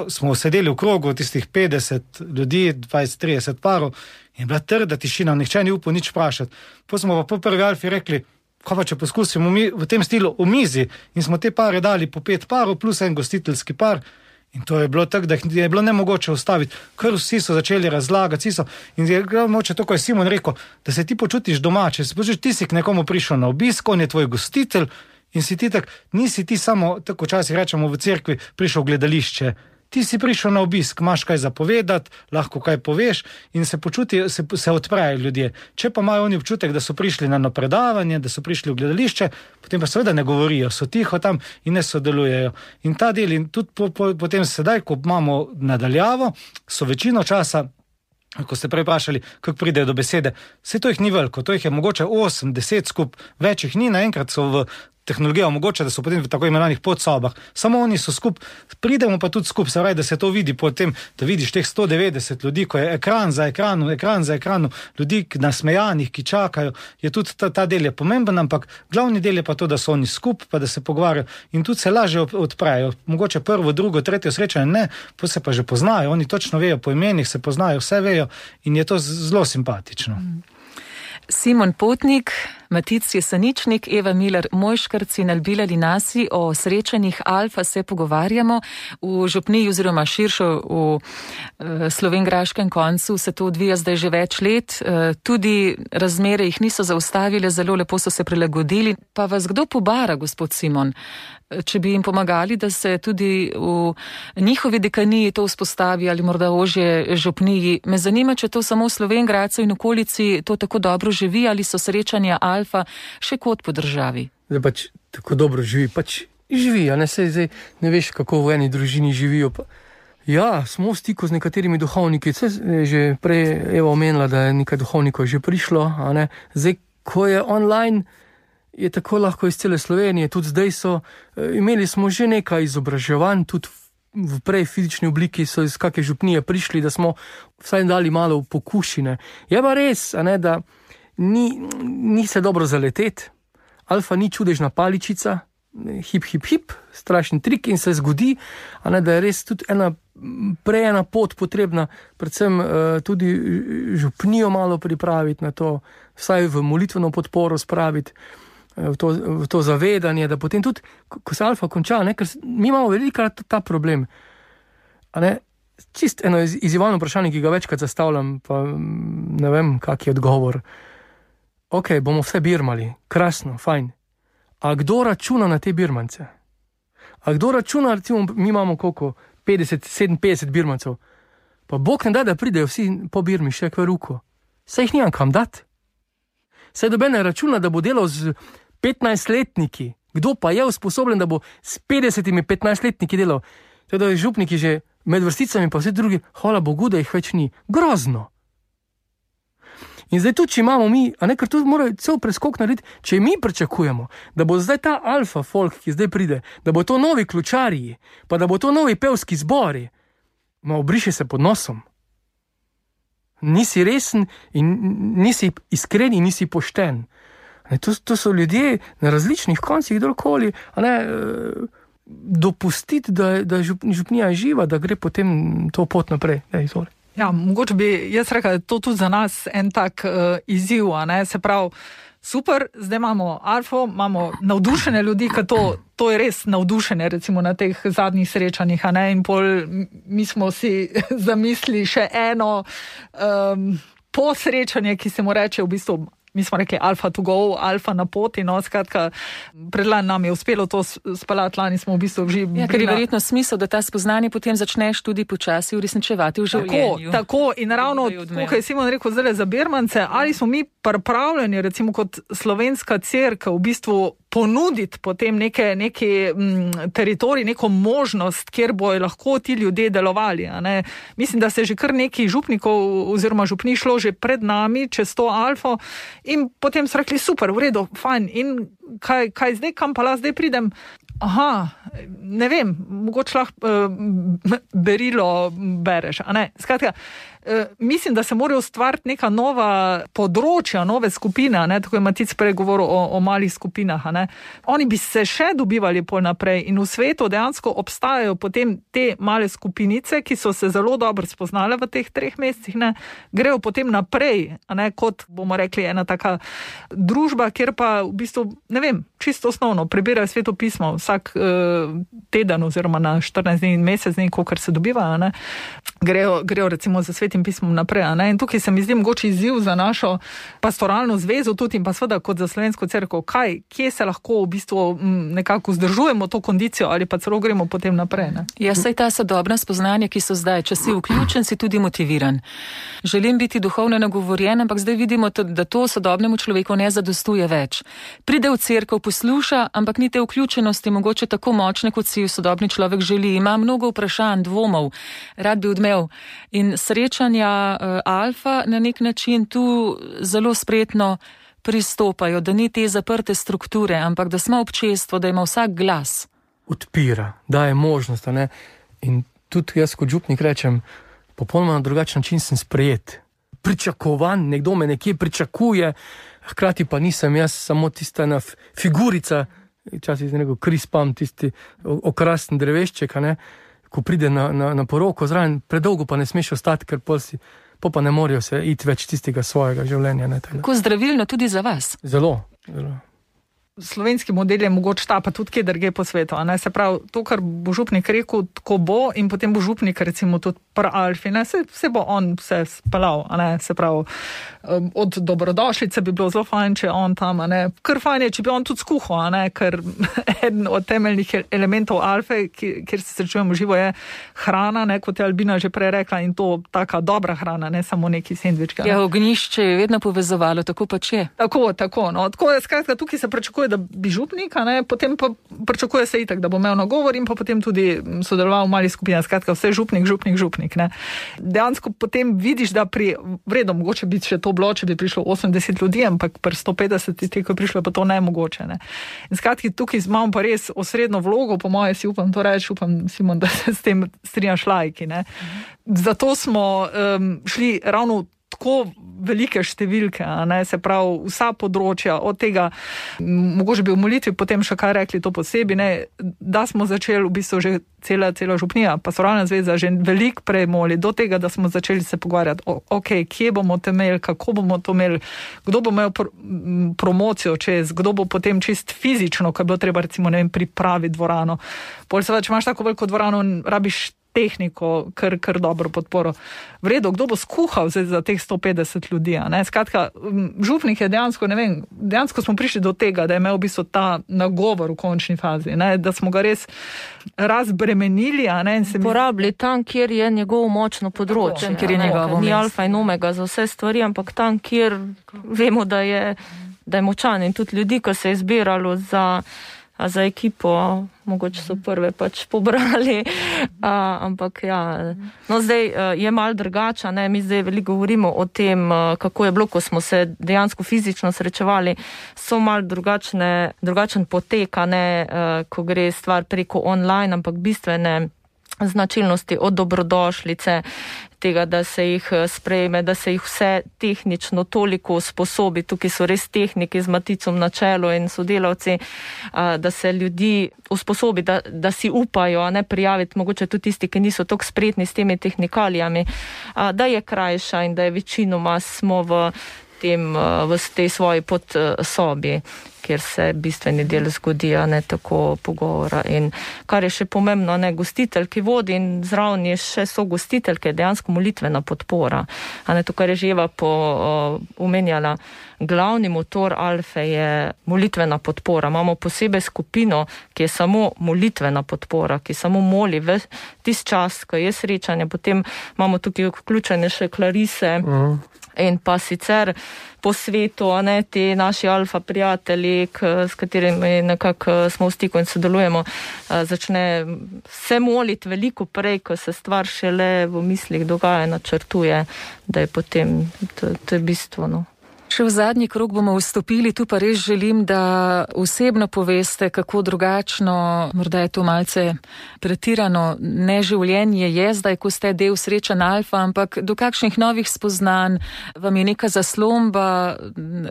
smo sedeli v krogu tistih 50 ljudi, 20-30 parov in je bila trda tišina, nihče ni upal nič vprašati. Potem smo pa po prvi alfi rekli, kaj pa če poskusimo mi v tem stilu omizi in smo te pare dali po 5 parov plus en gostiteljski par. In to je bilo tako, da je bilo nemogoče ustaviti, ker vsi so začeli razlagati, in je moče to, ko je Simon rekel, da se ti počutiš domače, ti si k nekomu prišel na obisk, on je tvoj gostitelj in si ti tak, nisi ti samo, tako včasih rečemo v cerkvi, prišel v gledališče ti si prišel na obisk, imaš kaj zapovedati, lahko kaj poveš in se počutijo, se odprejo ljudje. Če pa imajo oni občutek, da so prišli na predavanje, da so prišli v gledališče, potem pa seveda ne govorijo, so tiho tam in ne sodelujejo. In ta del, in tudi potem sedaj, ko imamo nadaljavo, so večino časa, ko ste prej vprašali, kako pridejo do besede, vse to jih ni veliko, to jih je mogoče 8, 10 skup, več jih ni, naenkrat so v tehnologija omogoča, da so potem v tako imenovanih podsobah. Samo oni so skup, pridemo pa tudi skup, se pravi, da se to vidi potem, da vidiš teh 190 ljudi, ko je ekran za ekranu, ljudi nasmejanih, ki čakajo, je tudi ta del je pomemben, ampak glavni del je pa to, da so oni skup, pa da se pogovarjajo in tudi se lažje odprejo. Mogoče prvo, drugo, tretje srečanje ne, pa se pa že poznajo, oni točno vejo po imenih, se poznajo, vse vejo in je to zelo simpatično. Simon Potnik, Matic Jeseničnik, Eva Miler Mojškarc in Albila Linasi o srečanjih Alfa se pogovarjamo. V župniji oziroma širšo v slovenjgraškem koncu se to odvija zdaj že več let. Tudi razmere jih niso zaustavile, zelo lepo so se prilagodili. Pa vas kdo pobara, gospod Simon? Če bi jim pomagali, da se tudi v njihovi dekaniji to vzpostavi ali morda ožje župniji. Me zanima, če to samo v Slovenjgradcu in okolici to tako dobro živi ali so srečanja Alfa še kot po državi. Zdaj pač tako dobro živi, a ne se zdaj ne veš, kako v eni družini živijo. Ja, smo v stiku z nekaterimi duhovniki, že prej Eva omenila, da je nekaj duhovnikov že prišlo, a ne. Zdaj, ko je online, je tako lahko iz cele Slovenije, tudi zdaj imeli smo že nekaj izobraževanj, tudi v prej fizični obliki so iz kakšne župnije prišli, da smo vsaj dali malo pokušine. Je pa res, a ne, da ni se dobro zaleteti, Alfa ni čudežna paličica, hip, strašen trik in se zgodi, a ne, da je res tudi ena pot potrebna, predvsem tudi župnijo malo pripraviti na to, vsaj v molitveno podporo spraviti, v to zavedanje, da potem tudi, ko se Alfa konča, ne, ker mi imamo velikokrat ta problem. A ne, čist eno izzivalno vprašanje, ki ga večkrat zastavljam, pa ne vem, kak je odgovor. Ok, bomo vse birmali, krasno, fajn. A kdo računa na te birmance? A kdo računa, recimo, mi imamo koliko? 57 birmancev. Pa Bog ne da pridejo vsi po Birmi še k veruku. Saj jih nimam kam dati. Saj doben ne računa, da bo delal z 15-letniki. Kdo pa je usposobljen, da bo s 50-15-letniki delal? Teda župniki že med vrsticami, pa vsi drugi, hvala Bogu, da jih več ni. Grozno. In zdaj tudi, če imamo mi, a ne, ker tudi morajo cel preskok narediti, če mi pričakujemo, da bo zdaj ta Alfa folk, ki zdaj pride, da bo to novi ključarji, pa da bo to novi pevski zbori, obriše se pod nosom. Nisi resen in nisi iskren in nisi pošten. To so ljudje na različnih koncih, kdorkoli, a ne, dopustiti, da župnija je živa, da gre potem to pot naprej. Izvoli. Ja, mogoče bi jaz rekla, da je to tudi za nas en tak izziv, a ne, se pravi, super, zdaj imamo Alfo, imamo navdušene ljudi, ker to je res navdušenje, recimo na teh zadnjih srečanjih, a ne, in pol mi smo si zamislili še eno posrečanje, ki se mu reče v bistvu, mi smo rekli Alfa to go, Alfa na poti, no, skratka, predlani nam je uspelo to spalati, lani smo v bistvu že... Ja, ker je verjetno smisel, da ta spoznanje potem začneš tudi počasi uresničevati v življenju. Tako, in ravno, kot je Simon rekel zdaj za Birmance, ali smo mi pripravljeni, recimo kot slovenska cerkev, v bistvu ponuditi potem neki teritorij, neko možnost, kjer bojo lahko ti ljudje delovali. A ne? Mislim, da se že kar neki župnikov oziroma župni šlo že pred nami čez to Alfo in potem so rekli, super, v redu, fajn, in kaj zdaj, kam pa zdaj pridem? Aha, ne vem, mogoče lahko berilo bereš, a ne? Skratka, mislim, da se morajo ustvariti neka nova področja, nove skupine, ne? Tako je Matic prej govoril o malih skupinah, a ne? Oni bi se še dobivali pol naprej in v svetu dejansko obstajajo potem te male skupinice, ki so se zelo dobro spoznale v teh 3 mesecih, ne? Grejo potem naprej, a ne? Kot bomo rekli, ena taka družba, kjer pa v bistvu, ne vem, čisto osnovno, prebirajo svetopismo vsak teden oziroma na 14 dni in mesec dni, kolikor se dobivajo, ne? grejo recimo za Svetim pismom naprej. Ne? In tukaj se mi zdi mogoče izziv za našo pastoralno zvezo tudi in pa seveda kot za slovensko cerkev, kje se lahko v bistvu nekako vzdržujemo to kondicijo ali pa celo gremo potem naprej. Ne? Ja, saj ta sodobna spoznanja, ki so zdaj, če si vključen, si tudi motiviran. Želim biti duhovno nagovorjen, ampak zdaj vidimo, da to sodobnemu človeku ne zadostuje več. Pride v cerkev, posluša, ampak ni te vključenosti mogoče tako močne, kot si sodobni človek želi. Ima mnogo vprašanj, dvomov, rad bi odmev. In srečanja Alfa na nek način tu zelo spretno pristopajo, da ni te zaprte strukture, ampak da smo občestvo, da ima vsak glas. Odpira, daje možnost, ne? In tudi jaz kot župnik rečem, popolnoma na drugačen način sem sprejet. Pričakovan, nekdo me nekje pričakuje, hkrati pa nisem jaz samo tista ena figurica, včasih je nekaj krispam, tisti okrasten drevešček, ne? Ko pride na poroko zraven, predolgo pa ne smeš ostati, ker pa ne morajo se iti več tistega svojega življenja. Kako zdravilno tudi za vas? Zelo. Slovenski model je mogoče ta, pa tudi kje drugje po svetu. Se pravi, to, kar bo župnik rekel, tako bo in potem bo župnik recimo tudi pri Alfi, se bo on vse spelal, se pravi, od dobrodošlice bi bilo zelo fajn, če on tam, kar fajn je, če bi on tudi skuhal, ker eden od temeljnih elementov Alfe, kjer se srečujemo živo, je hrana, kot je Albina že prej rekla, in to taka dobra hrana, ne samo neki sendvička. Ja, ognjišče je vedno povezovalo, tako pač je. Tako, tako je, skratka, tukaj se pričakuje, da bi župnik, potem pa pričakuje se itak, da bo imel nagovor in pa potem tudi sodeloval v malih skupinah, skratka, vse župnik. Ne. Dejansko potem vidiš, da pri vredom mogoče bi še to bilo, če bi prišlo 80 ljudi, ampak pri 150 tistih, ko je prišlo, pa to nemogoče. Ne. In skratki, tukaj imamo pa res osrednjo vlogo, po moje si upam to reči, Simon, da se s tem strinjaš laiki. Ne. Zato smo šli ravno tako velike številke, se pravi vsa področja, od tega, mogoče bi v molitvi potem še kaj rekli to posebej, da smo začeli v bistvu že cela župnija, pastoralna zveza že veliko prej moli, do tega, da smo začeli se pogovarjati, kje bomo to imeli, kako bomo to imeli, kdo bo imel promocijo čez, kdo bo potem čist fizično, ko je bilo treba recimo, pripraviti dvorano. Pol seveda, če imaš tako veliko dvorano, rabiš tehniko, kar dobro podporo. V redu, kdo bo skuhal za teh 150 ljudi? Skratka, župnik je dejansko smo prišli do tega, da je imel v bistvu ta nagovor v končni fazi, da smo ga res razbremenili. Porabili tam, kjer je njegovo močno področje. Ni alfa in omega za vse stvari, ampak tam, kjer vemo, da je močan in tudi ljudi, ko se je zbiralo za ekipo, mogoče so prve pač pobrali, ampak ja. No, zdaj je malo drugače, mi zdaj veliko govorimo o tem, kako je bilo, ko smo se dejansko fizično srečevali, so malo drugačen potek, ko gre stvar preko online, ampak bistvene značilnosti od dobrodošlice, tega, da se jih sprejme, da se jih vse tehnično toliko sposobi, tukaj so res tehniki z Maticom na čelu in sodelavci, da se ljudi usposobi, da si upajo prijaviti, mogoče tudi tisti, ki niso tako spretni s temi tehnikalijami, da je krajša in da je večinoma smo v tej svoji podsobi, kjer se bistveni del zgodi, tako pogovora. In kar je še pomembno, gostitelj, ki vodi in zraven je še so gostiteljke, dejansko molitvena podpora. To, kar je že Eva omenjala, glavni motor Alfe je molitvena podpora. Imamo posebej skupino, ki je samo molitvena podpora, ki samo moli v tist čas, ko je srečanje. Potem imamo tukaj vključene še klarise, in pa sicer po svetu, ti naši alfa prijatelji, s katerimi nekako smo v stiku in sodelujemo, začne se moliti veliko prej, ko se stvar šele v mislih dogaja, načrtuje, da je potem, to je bistveno. Še v zadnji krog bomo vstopili, tu pa res želim, da osebno poveste, kako drugačno, morda je to malce pretirano, ne življenje je zdaj, ko ste del srečanj Alfa, ampak do kakšnih novih spoznanj vam je neka zaslomba,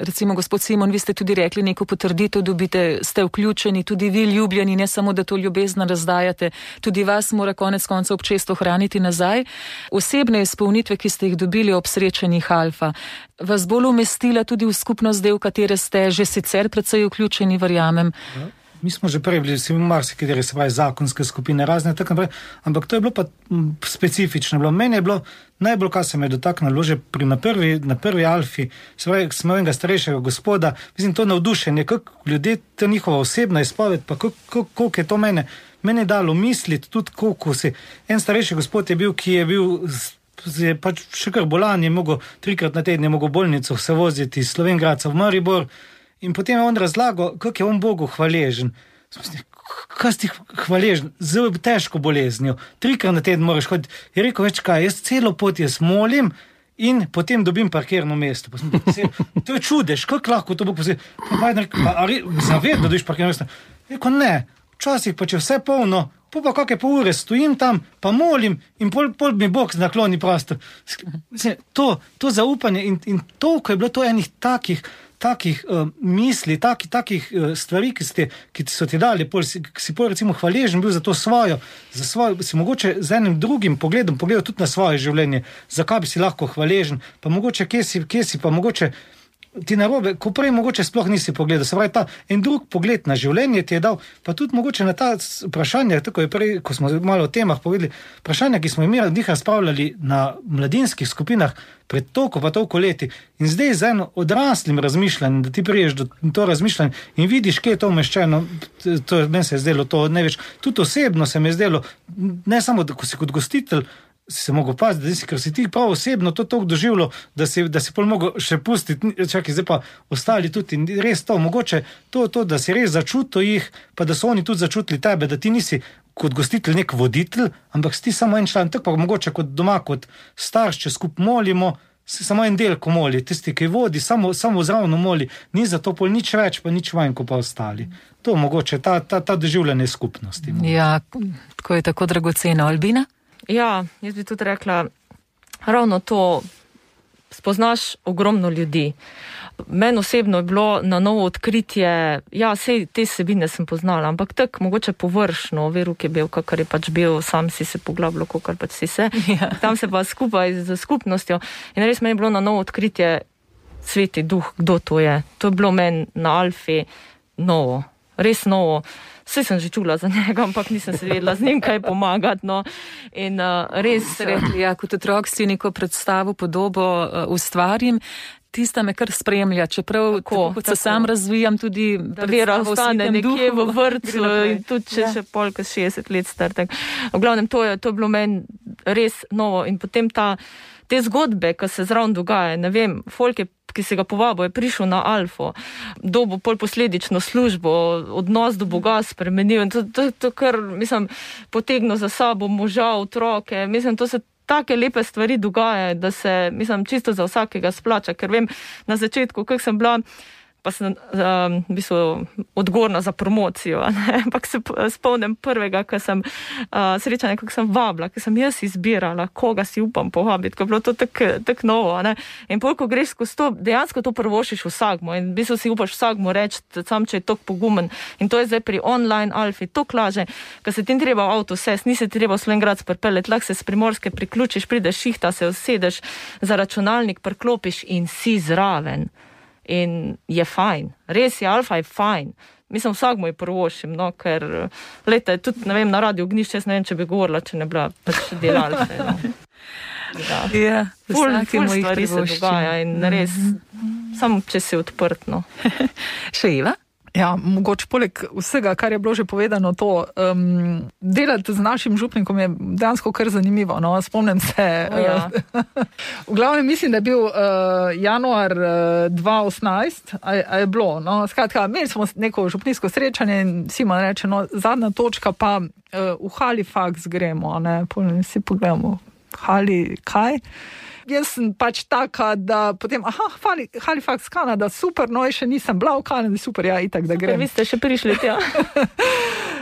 recimo gospod Simon, vi ste tudi rekli, neko potrditev dobite, ste vključeni, tudi vi ljubljeni, ne samo, da to ljubezno razdajate, tudi vas mora konec konca občestvo hraniti nazaj. Osebne izpolnitve, ki ste jih dobili ob srečanjih Alfa, vas bolj umestila tudi v skupnost del, v katere ste že sicer precej vključeni, verjamem. mi smo že prej bili v marsikateri, se pravi, zakonske skupine, razne tako naprej, ampak to je bilo pa specifično. Meni je bilo najbolj, kar se me je dotaknilo, že na prvi alfi, se pravi, smo enega starejšega gospoda, mislim, to navdušenje, kako ljudje, to njihova osebna izpoved, pa koliko je to mene dalo misliti, tudi koliko si. En starejši gospod je bil, ki je pač še kar bolan, je mogel 3-krat na teden, je mogel bolnico se voziti iz Slovenj Gradca v Maribor in potem je on razlagal, kako je on Bogu hvaležen. Kaj si hvaležen? Zelo težko boleznijo. 3-krat na teden moraš hoditi. Je rekel, več kaj, jaz celo pot molim in potem dobim parkirno mesto. To je čudež, kako lahko to Bog posebej. Zavedno dobiš parkirno mesto. Rekel, ne, včasih pa če vse polno, pa kakšne pol ure stojim tam, pa molim in pol mi Bog nakloni prostor. To zaupanje in toliko je bilo to enih takih misli, takih stvari, ki so ti dali, si pol recimo hvaležen bil za to svojo, si mogoče z enim drugim pogledom pogledal tudi na svoje življenje, zakaj bi si lahko hvaležen, pa mogoče kje si pa mogoče ti narobe, ko prej mogoče sploh nisi pogledal. Se pravi, ta en drug pogled na življenje ti je dal, pa tudi mogoče na ta vprašanja, tako je prej, ko smo malo o temah povedali, vprašanja, ki smo imeli od njih razpravljali na mladinskih skupinah pred toliko leti in zdaj z eno odraslim razmišljanjem, da ti priješ do to razmišljanje in vidiš, kje je to umeščeno, meni se je zdelo to največ. Tudi osebno se mi je zdelo, ne samo, da ko si kot gostitelj, si se mogel paziti, ker si ti prav osebno to toliko doživljal, da si pol mogel še pustiti, čakaj, zdaj pa ostali tudi in res to, mogoče to, da si res začutil jih, pa da so oni tudi začutili tebe, da ti nisi kot gostitelj nek voditelj, ampak si ti samo en član, tako pa mogoče kot doma, kot starš, če skup molimo, si samo en del, ko moli, tisti, ki vodi, samo zravno moli, ni za to pol nič več, pa nič manj, kot pa ostali. To mogoče, ta doživljanje skupnosti. Ja, tako je tako dragocena. Albina? Ja, jaz bi tudi rekla, ravno to, spoznaš ogromno ljudi. Meni osebno je bilo na novo odkritje, ja, sej te vsebine sem poznala, ampak tako mogoče površno, Veruk je bil, kakor je pač bil, sam si se poglabljal, kakor pač si se. Ja. Tam se pa skupaj z skupnostjo. In res meni je bilo na novo odkritje Sveti Duh, kdo to je. To je bilo meni na Alfi novo, res novo. Vse sem že čula za njega, ampak nisem se vedela z njim kaj pomagati. No. In res... Ja, kot otrok si neko predstavo, podobo ustvarim, tista me kar spremlja, čeprav tako se sam razvijam tudi... Da Vera ostane nekje v vrtcu in tudi še polka 60 let star. Tak. V glavnem, to je bilo meni res novo in potem te zgodbe, ki se zraven dogaja, ne vem, folk je, ki se ga povabo, je prišel na Alfo, dobo pol posledično službo, odnos do Boga spremenil in to kar, mislim, potegnil za sabo moža, otroke, mislim, to se take lepe stvari dogajajo, da se, mislim, čisto za vsakega splača, ker vem, na začetku, kako sem bila, pa sem v bistvu odgovorna za promocijo, ne? Ampak se spomnim prvega, ko sem srečanja, kako sem vabila, ko sem jaz izbirala, koga si upam povabiti, ko je bilo to tak novo. Ne? In pol, ko greš skozi to, dejansko to prvošiš vsakmo in v bistvu si upaš vsakmo reči, sam če je tok pogumen. In to je zdaj pri online Alfi, to klaže, ko se ti treba v avto sest, nisi treba v Slovenj Gradec pripeljati, lahko se s Primorske priključiš, prideš šihta, se usedeš za računalnik, priklopiš in si zraven. In je fajn, res je, Alfa je fajn. Mislim, vsak moj prvošim, no, ker, lejte, tudi, ne vem, na Radio Ognišče, jaz ne vem, če bi govorila, če ne bila pač del Alfe, no. Ja, ful stvari se dogaja in res, samo če si odprt, no. Še Eva? Ja, mogoče poleg vsega, kar je bilo že povedano, to delati z našim župnikom je dejansko kar zanimivo. No? Spomnim se, v glavnem mislim, da je bil januar 2018, a je bilo. No? Skratka, imeli smo neko župnijsko srečanje in Simon reče, no, zadnja točka pa v Halifax gremo, ne? Si pogledamo, kaj? Jaz sem pač taka, da potem, Halifax, Kanada, super, no, še nisem bila v Kanadi, super, ja, itak, da grem. Vi ste še prišli tja.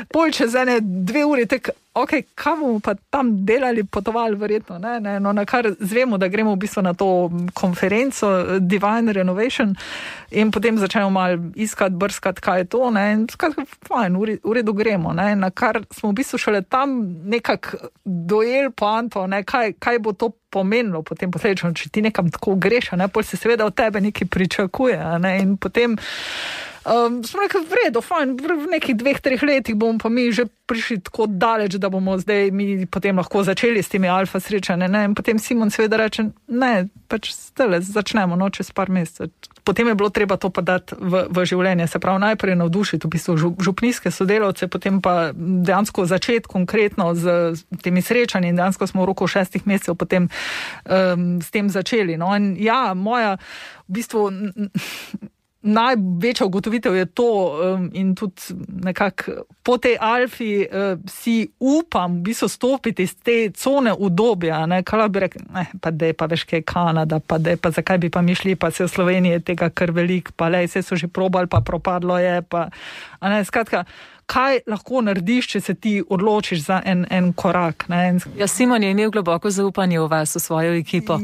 Pol čez 2 uri, ok, kaj bomo pa tam delali, potovali verjetno, ne, no, na kar zvemo, da gremo v bistvu na to konferenco Divine Renovation in potem začnemo malo iskati, brskati, kaj je to, ne, in skratka, fajn, v redu gremo, ne, na kar smo v bistvu šele tam nekako dojeli poanto, ne, kaj bo to pomenilo potem posledično, če ti nekam tako greš, ne, pol se seveda od tebe nekaj pričakuje, ne, in potem Smo rekli, v redu, fajn, v nekih 2-3 letih bomo pa mi že prišli tako daleč, da bomo zdaj mi potem lahko začeli s temi alfa srečanji. In potem Simon seveda reče, ne, pač zdaj začnemo, čez par mesecev. Potem je bilo treba to pa dati v življenje, se pravi najprej navdušiti v bistvu župnijske sodelavce, potem pa dejansko začeti konkretno z temi srečanji in dejansko smo v roku 6 mesecev potem s tem začeli. In ja, moja v bistvu največja ugotovitev je to in tudi nekako po tej alfi si upam v bistvu stopiti iz te cone udobja, kaj bi rekel, pa dej pa veš kaj je Kanada, pa dej pa zakaj bi pa mi šli, pa se v Sloveniji je tega kar velik, pa lej, vse so že probali, pa propadlo je, pa skratka, kaj lahko narediš, če se ti odločiš za en korak. Ja, Simon je imel globoko zaupanje v vas, v svojo ekipo.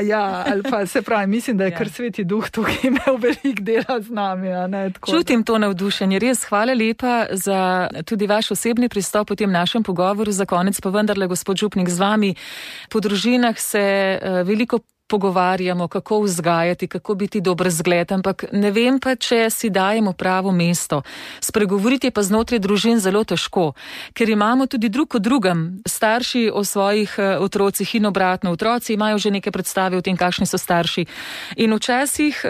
Ja, ali pa se pravi, mislim, da je kar Sveti Duh tukaj imel velik dela z nami. Čutim to navdušenje. Res, hvala lepa za tudi vaš osebni pristop v tem našem pogovoru. Za konec pa vendarle, gospod župnik, z vami po družinah se veliko pogovarjamo, kako vzgajati, kako biti dober zgled, ampak ne vem pa, če si dajemo pravo mesto. Spregovoriti je pa znotraj družin zelo težko, ker imamo tudi drug o drugem, starši o svojih otrocih in obratno. Otroci imajo že neke predstave o tem, kakšni so starši. In včasih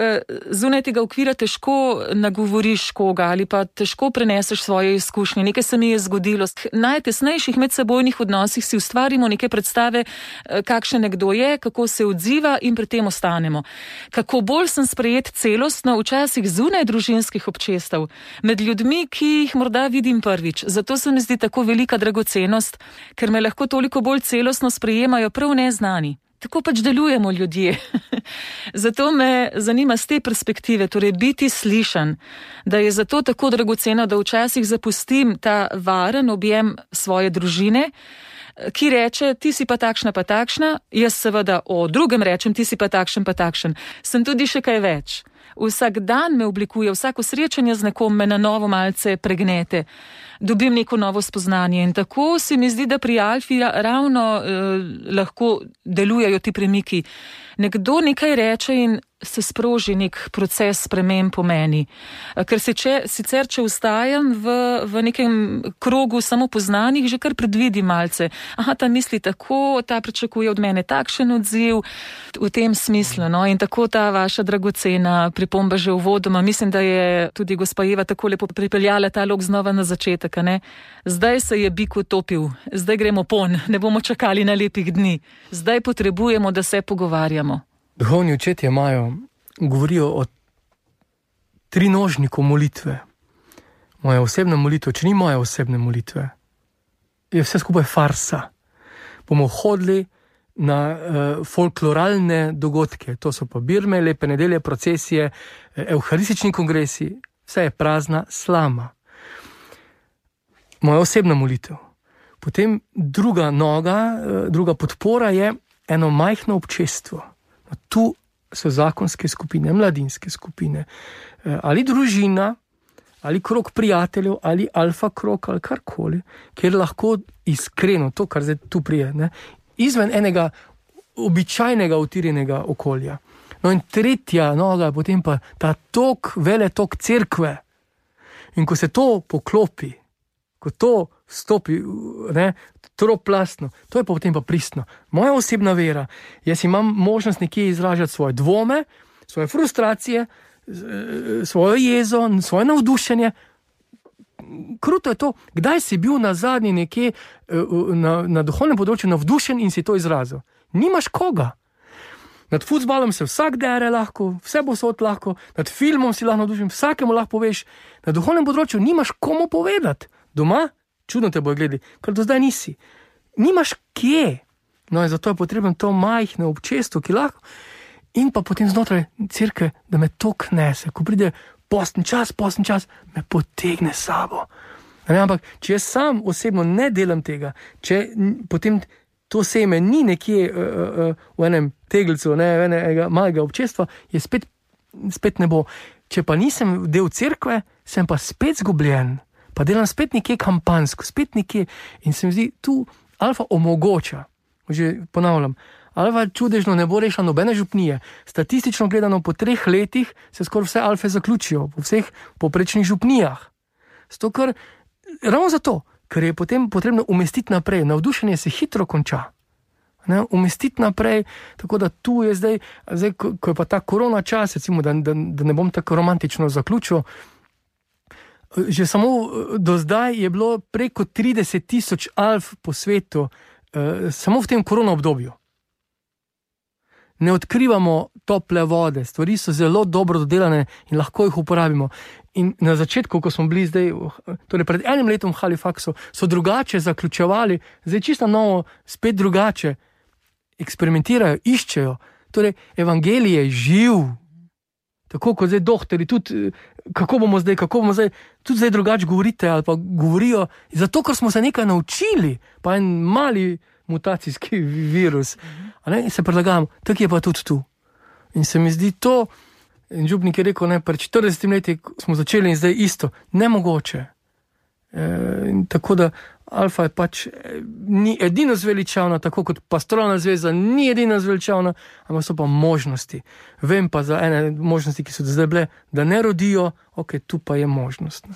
zunaj tega okvira težko nagovoriš koga ali pa težko preneseš svoje izkušnje. Nekaj se mi je zgodilo. Najtesnejših medsebojnih odnosih si ustvarimo neke predstave, kakšen nekdo je, kako se odziva in pri tem ostanemo. Kako bolj sem sprejet celostno, včasih zunaj družinskih občestev, med ljudmi, ki jih morda vidim prvič. Zato se mi zdi tako velika dragocenost, ker me lahko toliko bolj celostno sprejemajo prav neznani. Tako pač delujemo ljudje. Zato me zanima z te perspektive, torej biti slišan, da je zato tako dragoceno, da včasih zapustim ta varen objem svoje družine, ki reče, ti si pa takšna, jaz seveda o drugem rečem, ti si pa takšen. Sem tudi še kaj več. Vsak dan me oblikuje, vsako srečanje z nekom me na novo malce pregnete. Dobim neko novo spoznanje in tako se mi zdi, da pri alfi ravno lahko delujejo ti premiki. Nekdo nekaj reče in se sproži nek proces sprememb po meni. Ker sicer, če ustajam v nekem krogu samo poznanih, že kar predvidim malce. Aha, ta misli tako, ta pričakuje od mene takšen odziv v tem smislu. In tako ta vaša dragocena pripomba že uvodoma. Mislim, da je tudi gospa Eva tako lepo pripeljala ta lok znova na začetek. Zdaj se je bik utopil, zdaj gremo pon, ne bomo čakali na lepih dni. Zdaj potrebujemo, da se pogovarjamo. Duhovni očetje govorijo o trinožniku molitve. Moja osebna molitev, če ni moja osebne molitve, je vse skupaj farsa. Bomo hodili na folkloralne dogodke, to so pa birme, lepe nedelje, procesije, evharistični kongresi, vse je prazna slama. Moja osebna molitev. Potem druga podpora je eno majhno občestvo. Tu so zakonske skupine, mladinske skupine, ali družina, ali krog prijateljev, ali alfa krog, ali karkoli, kjer lahko iskreno, to, kar zdaj tu prije, izven enega običajnega utirjenega okolja. In tretja noga, potem pa ta veletok cerkve. In ko se to poklopi, ko to stopi, troplastno, to je pa potem pa pristno. Moja osebna vera, jaz imam možnost nekje izražati svoje dvome, svoje frustracije, svojo jezo, svoje navdušenje. Kruto je to, kdaj si bil nazadnje nekje na duhovnem področju navdušen in si to izrazil. Nimaš koga. Nad futbalom se vsak dere lahko, vse posod lahko, nad filmom si lahko navdušen, vsakemu lahko poveš. Na duhovnem področju nimaš komu povedati. Doma? Čudno te bojo gledali, ker do zdaj nisi. Nimaš kje. In zato je potrebno to majhno občestvo, ki lahko. In pa potem znotraj cerkve, da me to knese. Ko pride postni čas, me potegne s sabo. Ampak, če jaz sam osebno ne delam tega, če potem to seme ni nekje v enem tegelcu, enega malega občestva, je spet ne bo. Če pa nisem del cerkve, sem pa spet zgubljen. Pa delam spet nekje kampansko, spet nekje. In se mi zdi, tu alfa omogoča, že ponavljam, alfa čudežno ne bo rešila nobene župnije. Statistično gledano po 3 letih se skoraj vse alfe zaključijo, po vseh poprečnih župnijah. Ravno zato, ker je potem potrebno umestiti naprej, navdušenje se hitro konča. Umestiti naprej, tako da tu je zdaj ko je pa ta korona čas, recimo, da ne bom tako romantično zaključil, že samo do zdaj je bilo preko 30,000 alf po svetu, samo v tem korona obdobju. Ne odkrivamo tople vode, stvari so zelo dobro dodelane in lahko jih uporabimo. In na začetku, ko smo bili zdaj, torej pred 1 letom v Halifaxu, so drugače zaključevali, zdaj čisto novo, spet drugače, eksperimentirajo, iščejo. Torej, evangelij je živ. Tako kot zdaj doktori, tudi kako bomo zdaj, tudi zdaj drugače govorite ali pa govorijo, zato ker smo se nekaj naučili, pa en mali mutacijski virus. In se predlagamo, tako je pa tudi tu. In se mi zdi to, in župnik je rekel, pred 40 leti smo začeli in zdaj isto, nemogoče. Tako da alfa je pač ni edino zveličavna, tako kot pastoralna zveza ni edino zveličavna, ampak so pa možnosti. Vem pa za ene možnosti, ki so zdaj bile, da ne rodijo, tu pa je možnost.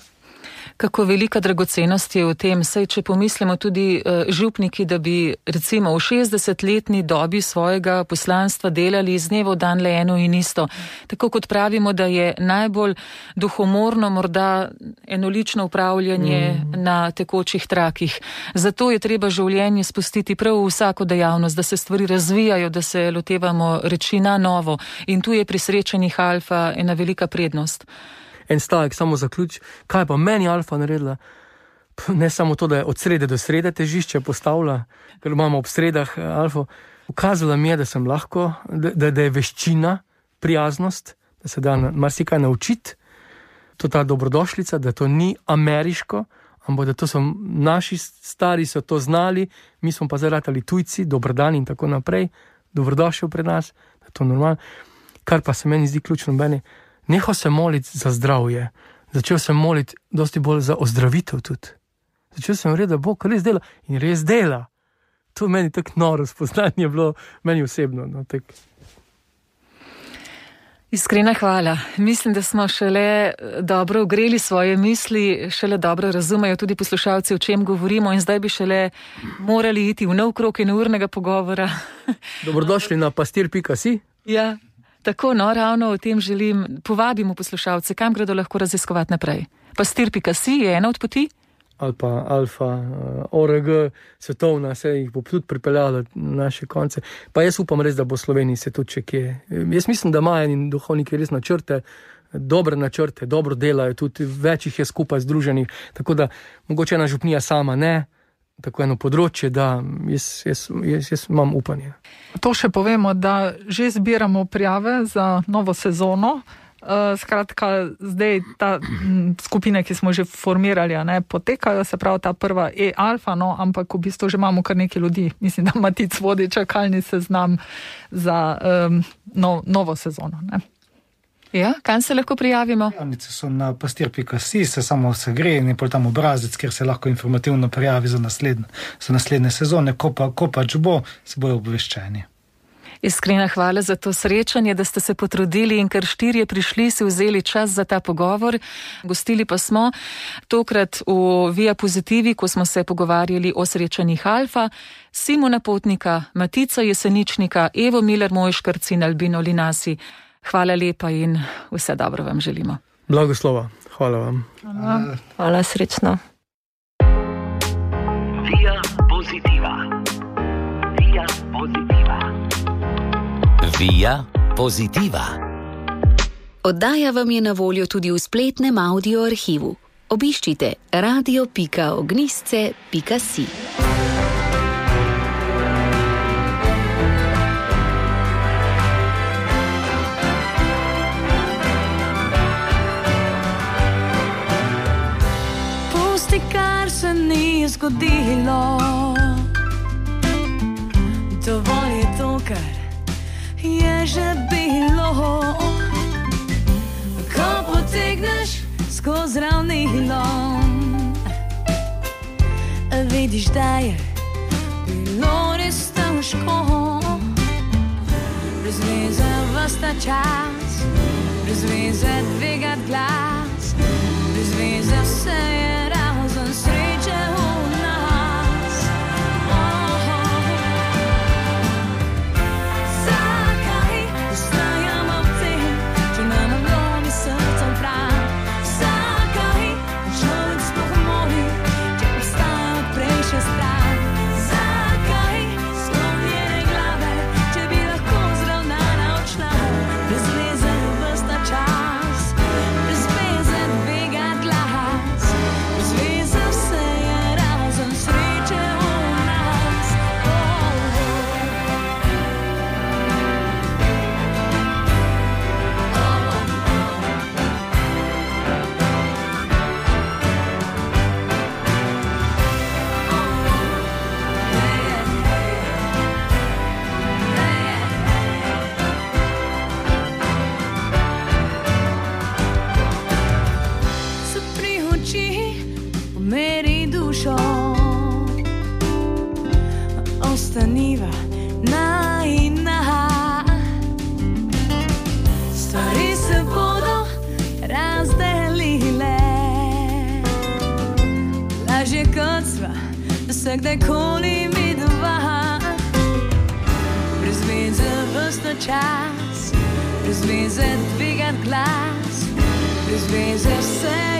Kako velika dragocenost je v tem, saj če pomislimo tudi župniki, da bi recimo v 60-letni dobi svojega poslanstva delali iz dneva v dan le eno in isto. Tako kot pravimo, da je najbolj duhomorno morda enolično upravljanje na tekočih trakih. Zato je treba življenje spustiti prav v vsako dejavnost, da se stvari razvijajo, da se lotevamo reči na novo. In tu je pri srečanjih alfa ena velika prednost. En stavek, samo zaključ, kaj pa meni alfa naredila? Ne samo to, da je od srede do srede težišče postavila, ker imamo ob sredah alfo. Ukazala mi je, da sem lahko, da je veščina, prijaznost, da se da marsikaj naučiti. To ta dobrodošlica, da to ni ameriško, ampak da to so naši stari, so to znali, mi smo pa zdaj ratali tujci, dobrodan in tako naprej, dobrodošel pred nas, da je to normalno. Kar pa se meni zdi ključno, nehal sem moliti za zdravje, začel sem moliti dosti bolj za ozdravitev tudi. Začel sem reči, da Bog res dela in res dela. To meni tako noro spoznanje je bilo, meni osebno. Iskrena hvala. Mislim, da smo šele dobro ogreli svoje misli, šele dobro razumejo tudi poslušalci, o čem govorimo in zdaj bi šele morali iti v nov krog in urnega pogovora. Dobrodošli na pastir.si. Ja. Tako, ravno o tem želim. Povabimo poslušalce, kam gredo lahko raziskovati naprej. Pastir.si je ena od poti? Ali pa alfa, ORG, svetovna, se jih bo tudi pripeljala na naše konce. Pa jaz upam res, da bo Sloveniji se tudi če kje. Jaz mislim, da imajo in duhovniki res načrte, dobre načrte, dobro delajo, tudi več jih je skupaj združenih, tako da mogoče ena župnija sama ne, tako eno področje, da jaz imam upanje. To še povemo, da že zbiramo prijave za novo sezono. Skratka, zdaj ta skupine, ki smo že formirali, potekajo, se pravi ta prva alfa, ampak v bistvu že imamo kar nekaj ljudi. Mislim, da Matic vodi čakalni seznam za novo sezono. Ja, kam se lahko prijavimo? Prijavnice so na pastir.si, se samo se gre in je pol tam obrazec, kjer se lahko informativno prijavi za naslednje sezone, ko pač bo, se bojo obveščeni. Iskrena hvala za to srečanje, da ste se potrudili in ker 4 prišli, si vzeli čas za ta pogovor. Gostili pa smo tokrat v Via Pozitivi, ko smo se pogovarjali o srečanjih alfa, Simona Potnika, Matica Jeseničnika, Evo Miller-Mojškarc in Albino Linasi. Hvala lepa in vse dobro vam želimo. Blagoslova, hvala vam. Hvala, srečno. Via Positiva. Via Positiva. Via Positiva. Oddaja vam je na voljo tudi v spletnem audio arhivu. Obiščite radio.ognisce.si. Pusti, kar se ni zgodilo. Dovolj je to, kar je že bilo. Ko potegneš skozi ravnilo, vidiš, da je bilo res težko. vsta čas, brez veze dvigat glas, brez veze vse je razen sreče v nas. Zakaj ostajamo v tem, če nam lomi srce v prah? Zakaj človek sploh moli, če obstaja prej še strah? Zakaj sklonjene glave, če bi lahko zravnana odšla? Brez veze vsta čas, brez veze dvigat glas, brez veze vse je razen sreče v nas. Zapri oči, pomeri dušo, ostaniva na in na. Stvari se bodo razdelile, lažje kot sva se kdajkoli mi dva. Brez veze vsta čas, brez veze dvigat glas, brez veze vse